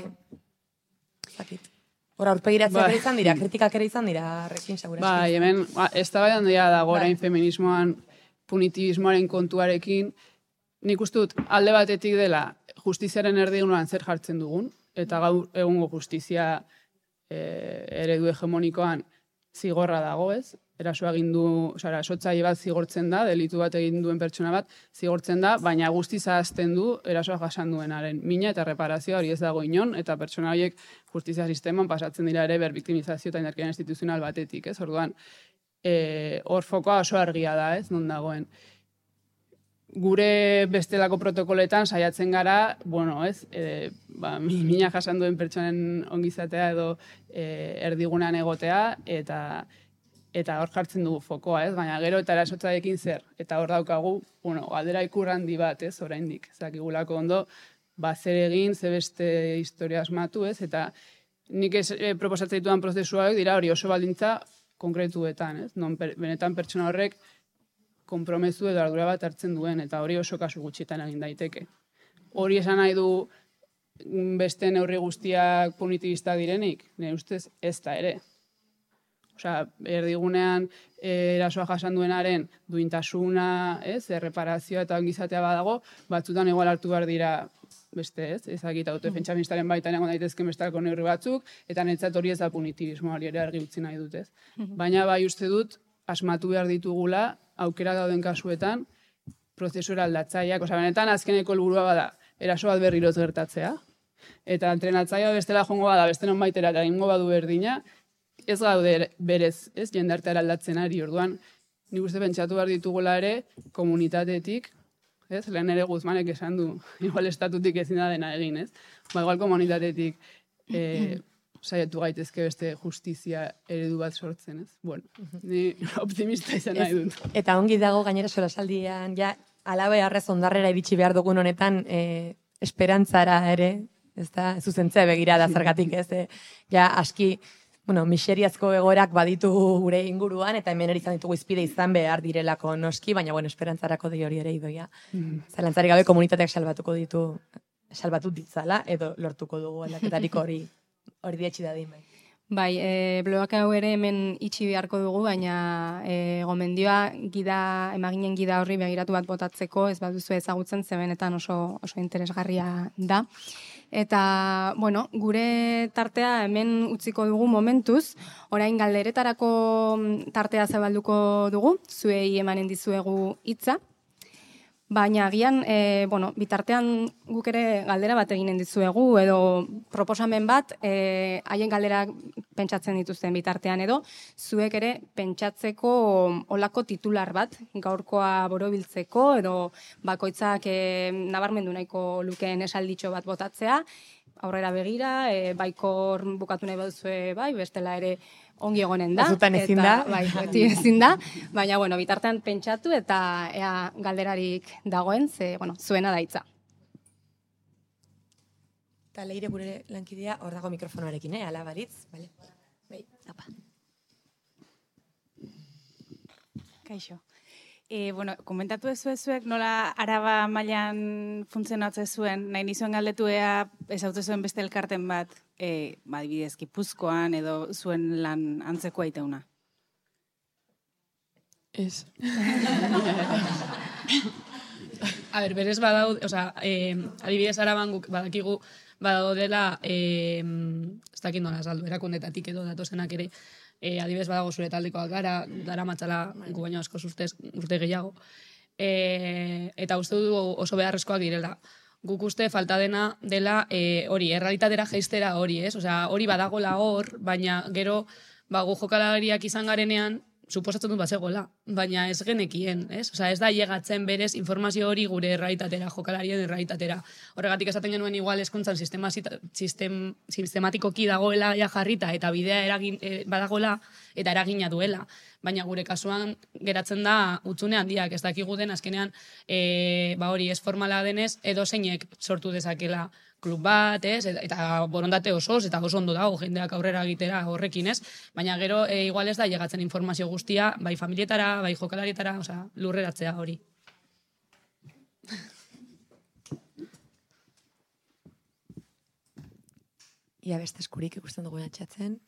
Hora, aurpegiratzea ere izan dira, kritikak ere izan dira, rekin segurazki. Bai, hemen, ez da baian dira dago orain feminismoan, punitibismoaren kontuarekin, nik uste dut alde batetik dela justiziaren erdigunean zer jartzen dugun, eta gaur egungo justizia eredu hegemonikoan zigorra dago, ez? Erasoa egin du, erasotzaile bat zigortzen da, delitu bat egin duen pertsona bat zigortzen da, baina guztiz ahazten du erasoa jasan duenaren mina eta reparazioa hori ez dago inon, eta pertsona horiek justizia sisteman pasatzen dira ere berbiktimizazio eta indarkeria instituzional batetik, ez? Orduan, hor fokoa oso argia da, ez? Non dagoen. Gure bestelako protokoletan saiatzen gara, ez? Mina jasan duen pertsonen ongizatea edo erdigunean egotea, eta hor jartzen dugu fokoa, ez? Baina gero eta erasotzaiekin zer. Eta hor daukagu, galdera ikur handi bat, ez? Oraindik. Zakigulako ondo, zer egin, ze beste historia asmatu, ez? Eta nik proposatzen ditudan prozesuak dira hori oso baldintza konkretuetan, ez? Non benetan pertsona horrek konpromezu edo ardura bat hartzen duen, eta hori oso kasu gutxitan egin daiteke. Hori esan nahi du beste neurri guztiak punitibista direnik, nire ustez ez da ere. Osea, erdigunean erasoa jasan duenaren duintasuna, erreparazioa eta ongizatea badago, batzutan igual hartu behar dira beste, ez? Ezagita autodefentsa ministraren baitan egon daitezken bestelako neurri batzuk, eta netzat hori ez da punitibismo hori ere argi utzi nahi dut, ez? Baina bai uste dut, asmatu behar ditugula, aukera dauden kasuetan, prozesura aldatzaileak, benetan azkeneko helburua bada, eraso bat berriro ez gertatzea, eta entrenatzailea bestela jongo bada, beste non baitera, eta egingo badu berdina, ez gaude berez, ez, jendarteara aldatzen ari, orduan, nik uste pentsatu behar ditugula ere, komunitatetik, ez, lehen ere Guzmanek esan du, igual estatutik ezin da dena egin, ez, igual komunitatetik saiatu gaitezke beste justizia eredu bat sortzen, ez? Bueno, ni optimista izan nahi dut. Eta ongi dago gainera solasaldian, ja, alabe harrez ondarrera iritsi behar dugun honetan, esperantzara ere, ez da, zuzentzea begira da zergatik, ez? Ja, aski, miseriazko egoerak baditu gure inguruan, eta hemen ere izan ditugu izpide izan behar direlako noski, baina, esperantzarako di hori ere idoia. Zalantzari gabe komunitateak salbatu ditzala, edo lortuko dugu aldaketarik hori dietxi dadin. Bai, bloak hau ere hemen itxi beharko dugu, baina gomendioa emaginen gida horri begiratu bat botatzeko, ez baduzu ezagutzen, zebenetan oso interesgarria da. Eta, gure tartea hemen utziko dugu momentuz, orain galderetarako tartea zabalduko dugu, zuei emanen dizuegu hitza. Baina agian, bitartean guk ere galdera bat eginen dizuegu, edo proposamen bat, haien galderak pentsatzen dituzten bitartean edo, zuek ere pentsatzeko olako titular bat, gaurkoa borobiltzeko, edo bakoitzak nabarmendu nahiko lukeen esalditxo bat botatzea, aurrera begira, baikor bukatu nahi baduzue, bestela ere ongi egonen da. Azutan ezin da. Bai, beti ezin da. Baina, bitartean pentsatu eta ea galderarik dagoen, zuena daitza. Eta Leire gure lankidea hor dago mikrofonoarekin, ala baritz. Bai, apa. Kaixo. Komentatu ezuek nola Araba mailan funtzionatzen zuen, nahi nizuen galdetu ea ezaute zuen beste elkarten bat, adibidez Gipuzkoan edo zuen lan antzekoa itauna. Ez. Berez badaud, adibidez Araban guk badakigu badaudela, ez dakit nola saldu, erakundetatik edo datozenak ere, adibidez badago zure taldekoak gara, dara matzala gu baino asko urte gehiago. Eta uste du oso beharrezkoak direla. Guk uste falta dena dela hori, errealitatera jaistera hori, ez? Hori badagola hor, baina gero gu jokalariak izan garenean, suposatzen dut bazegoela, baina ez genekien, ez? Ez da llegatzen berez informazio hori gure errealitatera, jokalarien errealitatera. Horregatik esaten genuen igual eskuntzan sistematikoki dagoela ja jarrita eta bidea badagoela eta eragina duela. Baina gure kasuan geratzen da hutsune handiak, ez dakigu den azkenean hori ez formala denez edo zeinek sortu dezakela klub bat, eta borondate osoz, eta oso ondo dago jendeak aurrera egitera horrekin, ez? Baina gero igual ez da llegatzen informazio guztia, bai familietara, bai jokalarietara, lurreratzea hori. Ia beste eskurik ikusten dugu atxatzen.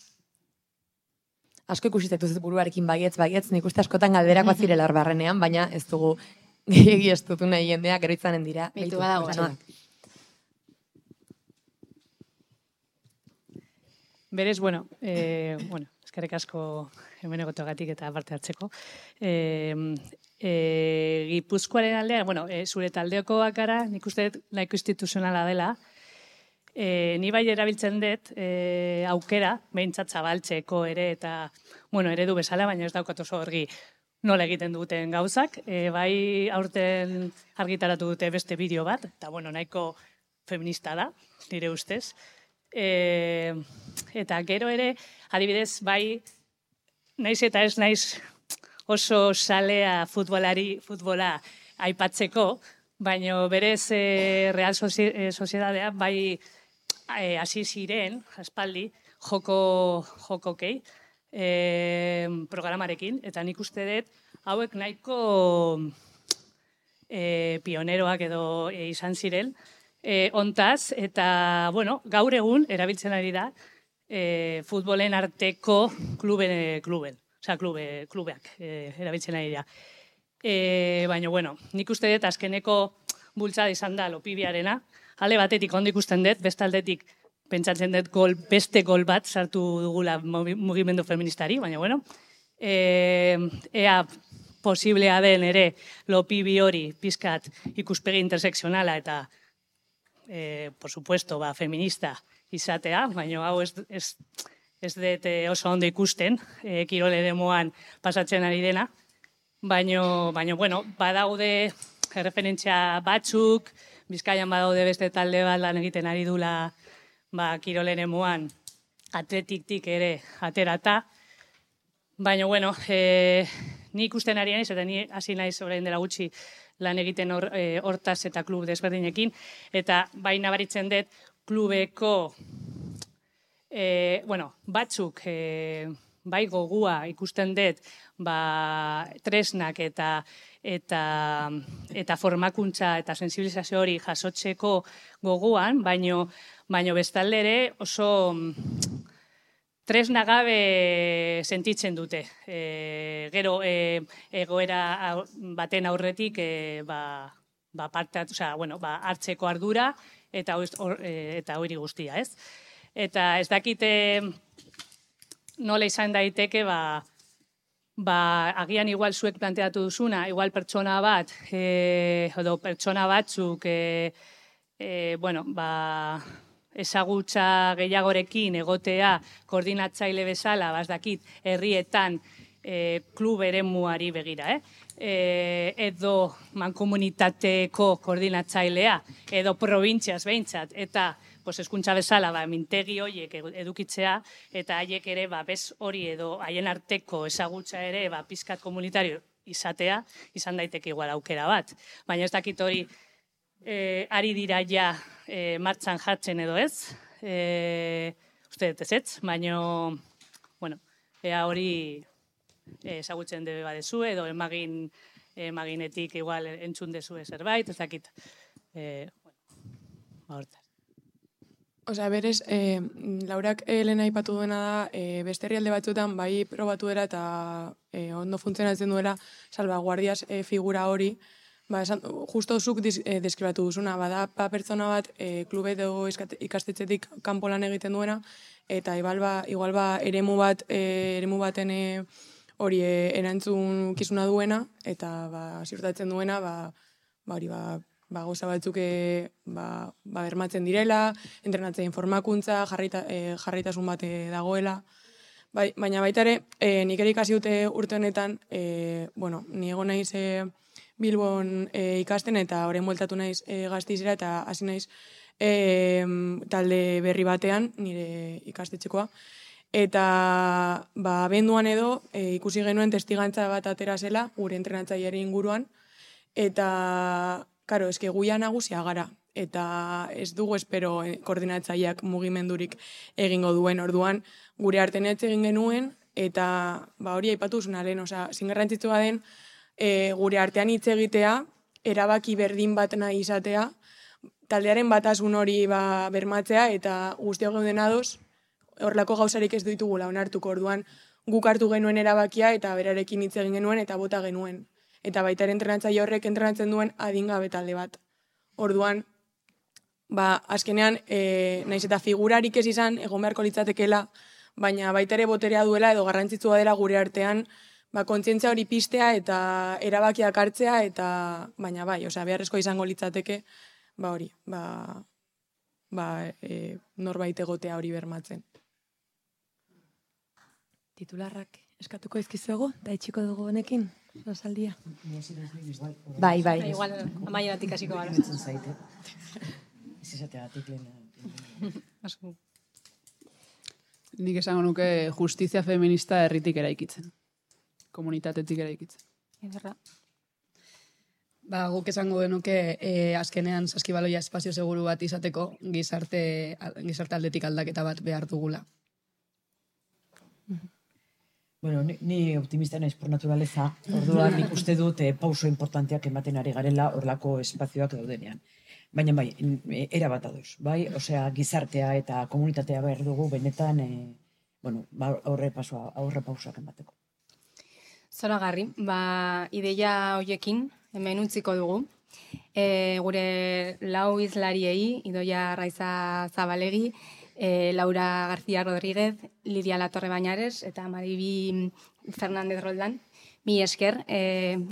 Asko ikusitek duzut buruarekin baietz, nik uste askotan galderako zirela barrenean, baina ez dugu gehiagi ez dutu nahi jendeak gero itzanen dira. Beitu badago. Berez, eskerrik asko hemen egoteagatik eta parte hartzeko. Gipuzkoaren aldean, zure taldeokoak gara, nik uste nahiko instituzionala dela, ni bai erabiltzen dut aukera, behintzat zabaltzeko ere, eta eredu bezala, baina ez daukat oso argi nola egiten duten gauzak. Bai aurten argitaratu dute beste bideo bat, eta nahiko feminista da, nire ustez. Eta gero ere, adibidez, bai, naiz eta ez naiz oso salea futbola aipatzeko, baina berez Real Sociedadea bai hasi ziren, aspaldi, jokokei programarekin, eta nik uste dut hauek nahiko pioneroak edo izan ziren, ontaz, eta, gaur egun erabiltzen ari da futbolen arteko klubeak erabiltzen ari da. Baina, nik uste dut azkeneko bultzada izan da Lopibiarena, ale batetik ondo ikusten dut, bestaldetik pentsatzen dut beste gol bat sartu dugula mugimendu feministari, baina, ea posiblea den ere Lopibi hori pizkat ikuspegi interseksionala eta por supuesto, feminista izatea, baina hau ez dut oso ondo ikusten, kirol eremuan pasatzen ari dena, baina, badaude referentzia batzuk, Bizkaian badaude beste talde bat lan egiten ari dula kirol eremuan atletiktik ere aterata. Baina, bueno, ni ikusten ari naiz, eta ni hasi naiz orain dela gutxi lan egiten hortaz eta klub desberdinekin, eta bai nabaritzen dut klubeko batzuk bai gogua ikusten dut tresnak eta formakuntza eta sensibilizazio hori jasotzeko goguan, baino bestalde ere oso tresna gabe sentitzen dute. Gero egoera baten aurretik hartzeko ardura eta hori guztia, ez? Eta ez dakite nola izan daiteke, agian igual zuek planteatu duzuna, igual pertsona bat, edo pertsona batzuk, ezagutza gehiagorekin egotea koordinatzaile bezala, dakit, herrietan klub eremuari begira, edo mankomunitateko koordinatzailea, edo probintziaz behintzat, eta hezkuntza bezala mintegi horiek edukitzea, eta haiek ere bez hori edo haien arteko ezagutza ere pizkat komunitario izatea, izan daiteke igual aukera bat. Baina ez dakit hori ari dira ja martxan jartzen edo ez, uste dut ez, baina, ea hori ezagutzen debe badezu, edo emaginetik igual entzun dezue zerbait, ez dakit, hortaz. Osea, berez, Laurak lehen aipatu duena da, beste herrialde batzuetan bai probatu dela eta ondo funtzionatzen duela salvaguardias figura hori, justo zuk deskribatu duzuna, bada pertsona bat klube edo ikastetxetik kanpo lan egiten duena, eta igual eremu baten hori erantzun kizuna duena, eta ziurtatzen duena, gauza batzuk bermatzen direla, entrenatzen formakuntza, jarraitasun bat dagoela. Baina baita ere, nik ere ikasi dute urte honetan, ni egon naiz Bilbon ikasten eta orain bueltatu naiz Gasteizera eta hasi naiz talde berri batean, nire ikastetxekoa. Eta abenduan edo ikusi genuen testigantza bat atera zela, gure entrenatzaileari inguruan, eta karo, eske guia nagusia gara, eta ez dugu espero koordinatzaileak mugimendurik egingo duen orduan, gure artean egin genuen, eta hori aipatu zuen alen, zingarrantzitsua den, gure artean hitz egitea, erabaki berdin bat nahi izatea, taldearen batasun hori bermatzea, eta guztiok gauden ados, horrelako gauzarik ez ditugula onartuko orduan, guk hartu genuen erabakia, eta berarekin hitz egin genuen, eta bota genuen. Eta baita ere entrenatzaile horrek entrenatzen duen adingabe talde bat. Orduan, azkenean, naiz eta figurarik ez izan, egon beharko litzatekela, baina baita ere boterea duela edo garrantzitsua dela gure artean, kontzientzia hori piztea eta erabakiak hartzea, eta baina beharrezko izango litzateke, norbait egotea hori bermatzen. Titularrak eskatuko izkizuego, eta itxiko dugu honekin, rosaldia. Bai. Igual, amaieratik hasiko gara. Ez izateagatik lehen. Nik esango nuke justizia feminista herritik eraikitzen. Komunitatetik eraikitzen. Ederra. Guk esango genuke azkenean saskibaloia espazio seguru bat izateko gizarte aldetik aldaketa bat behar dugula. Bueno, ni optimista naiz por naturaleza, orduan nik uste dut pauso importanteak ematen ari garela horlako espazioak daudenean. Baina era bat adoz, osea, gizartea eta komunitatea behar dugu benetan, aurre pausoak emateko. Zoragarri, ideia hoiekin hemen utziko dugu. Gure lau izlariei, Idoia Raiza Zabalegi, Laura García Rodríguez, Lidia Latorre Bañares eta Maribi Fernández Roldán. Mi esker,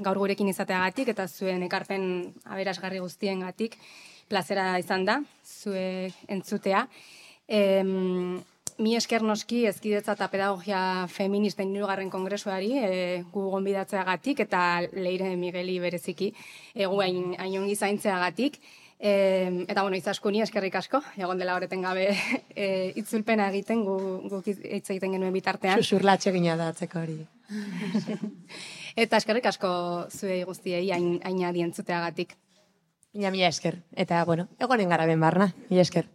gaur gurekin izateagatik eta zuen ekarpen aberasgarri guztiengatik plazera izan da, zuek entzutea. Mi esker noski ezkidetza eta pedagogia feministen 3. kongresuari gu gonbidatzeagatik eta Leire Migueli bereziki gu hain ongi zaintzeagatik. Eta, bueno, izaskuni eskerrik asko, egon dela horreten gabe itzulpena egiten, guk hitz egiten genuen bitartean. Xuxurlatxe gina da atzeko hori. Eta eskerrik asko zuei guztiei hain adi entzuteagatik. Mila esker. Eta, bueno, egonen gara ben barna. Mila esker.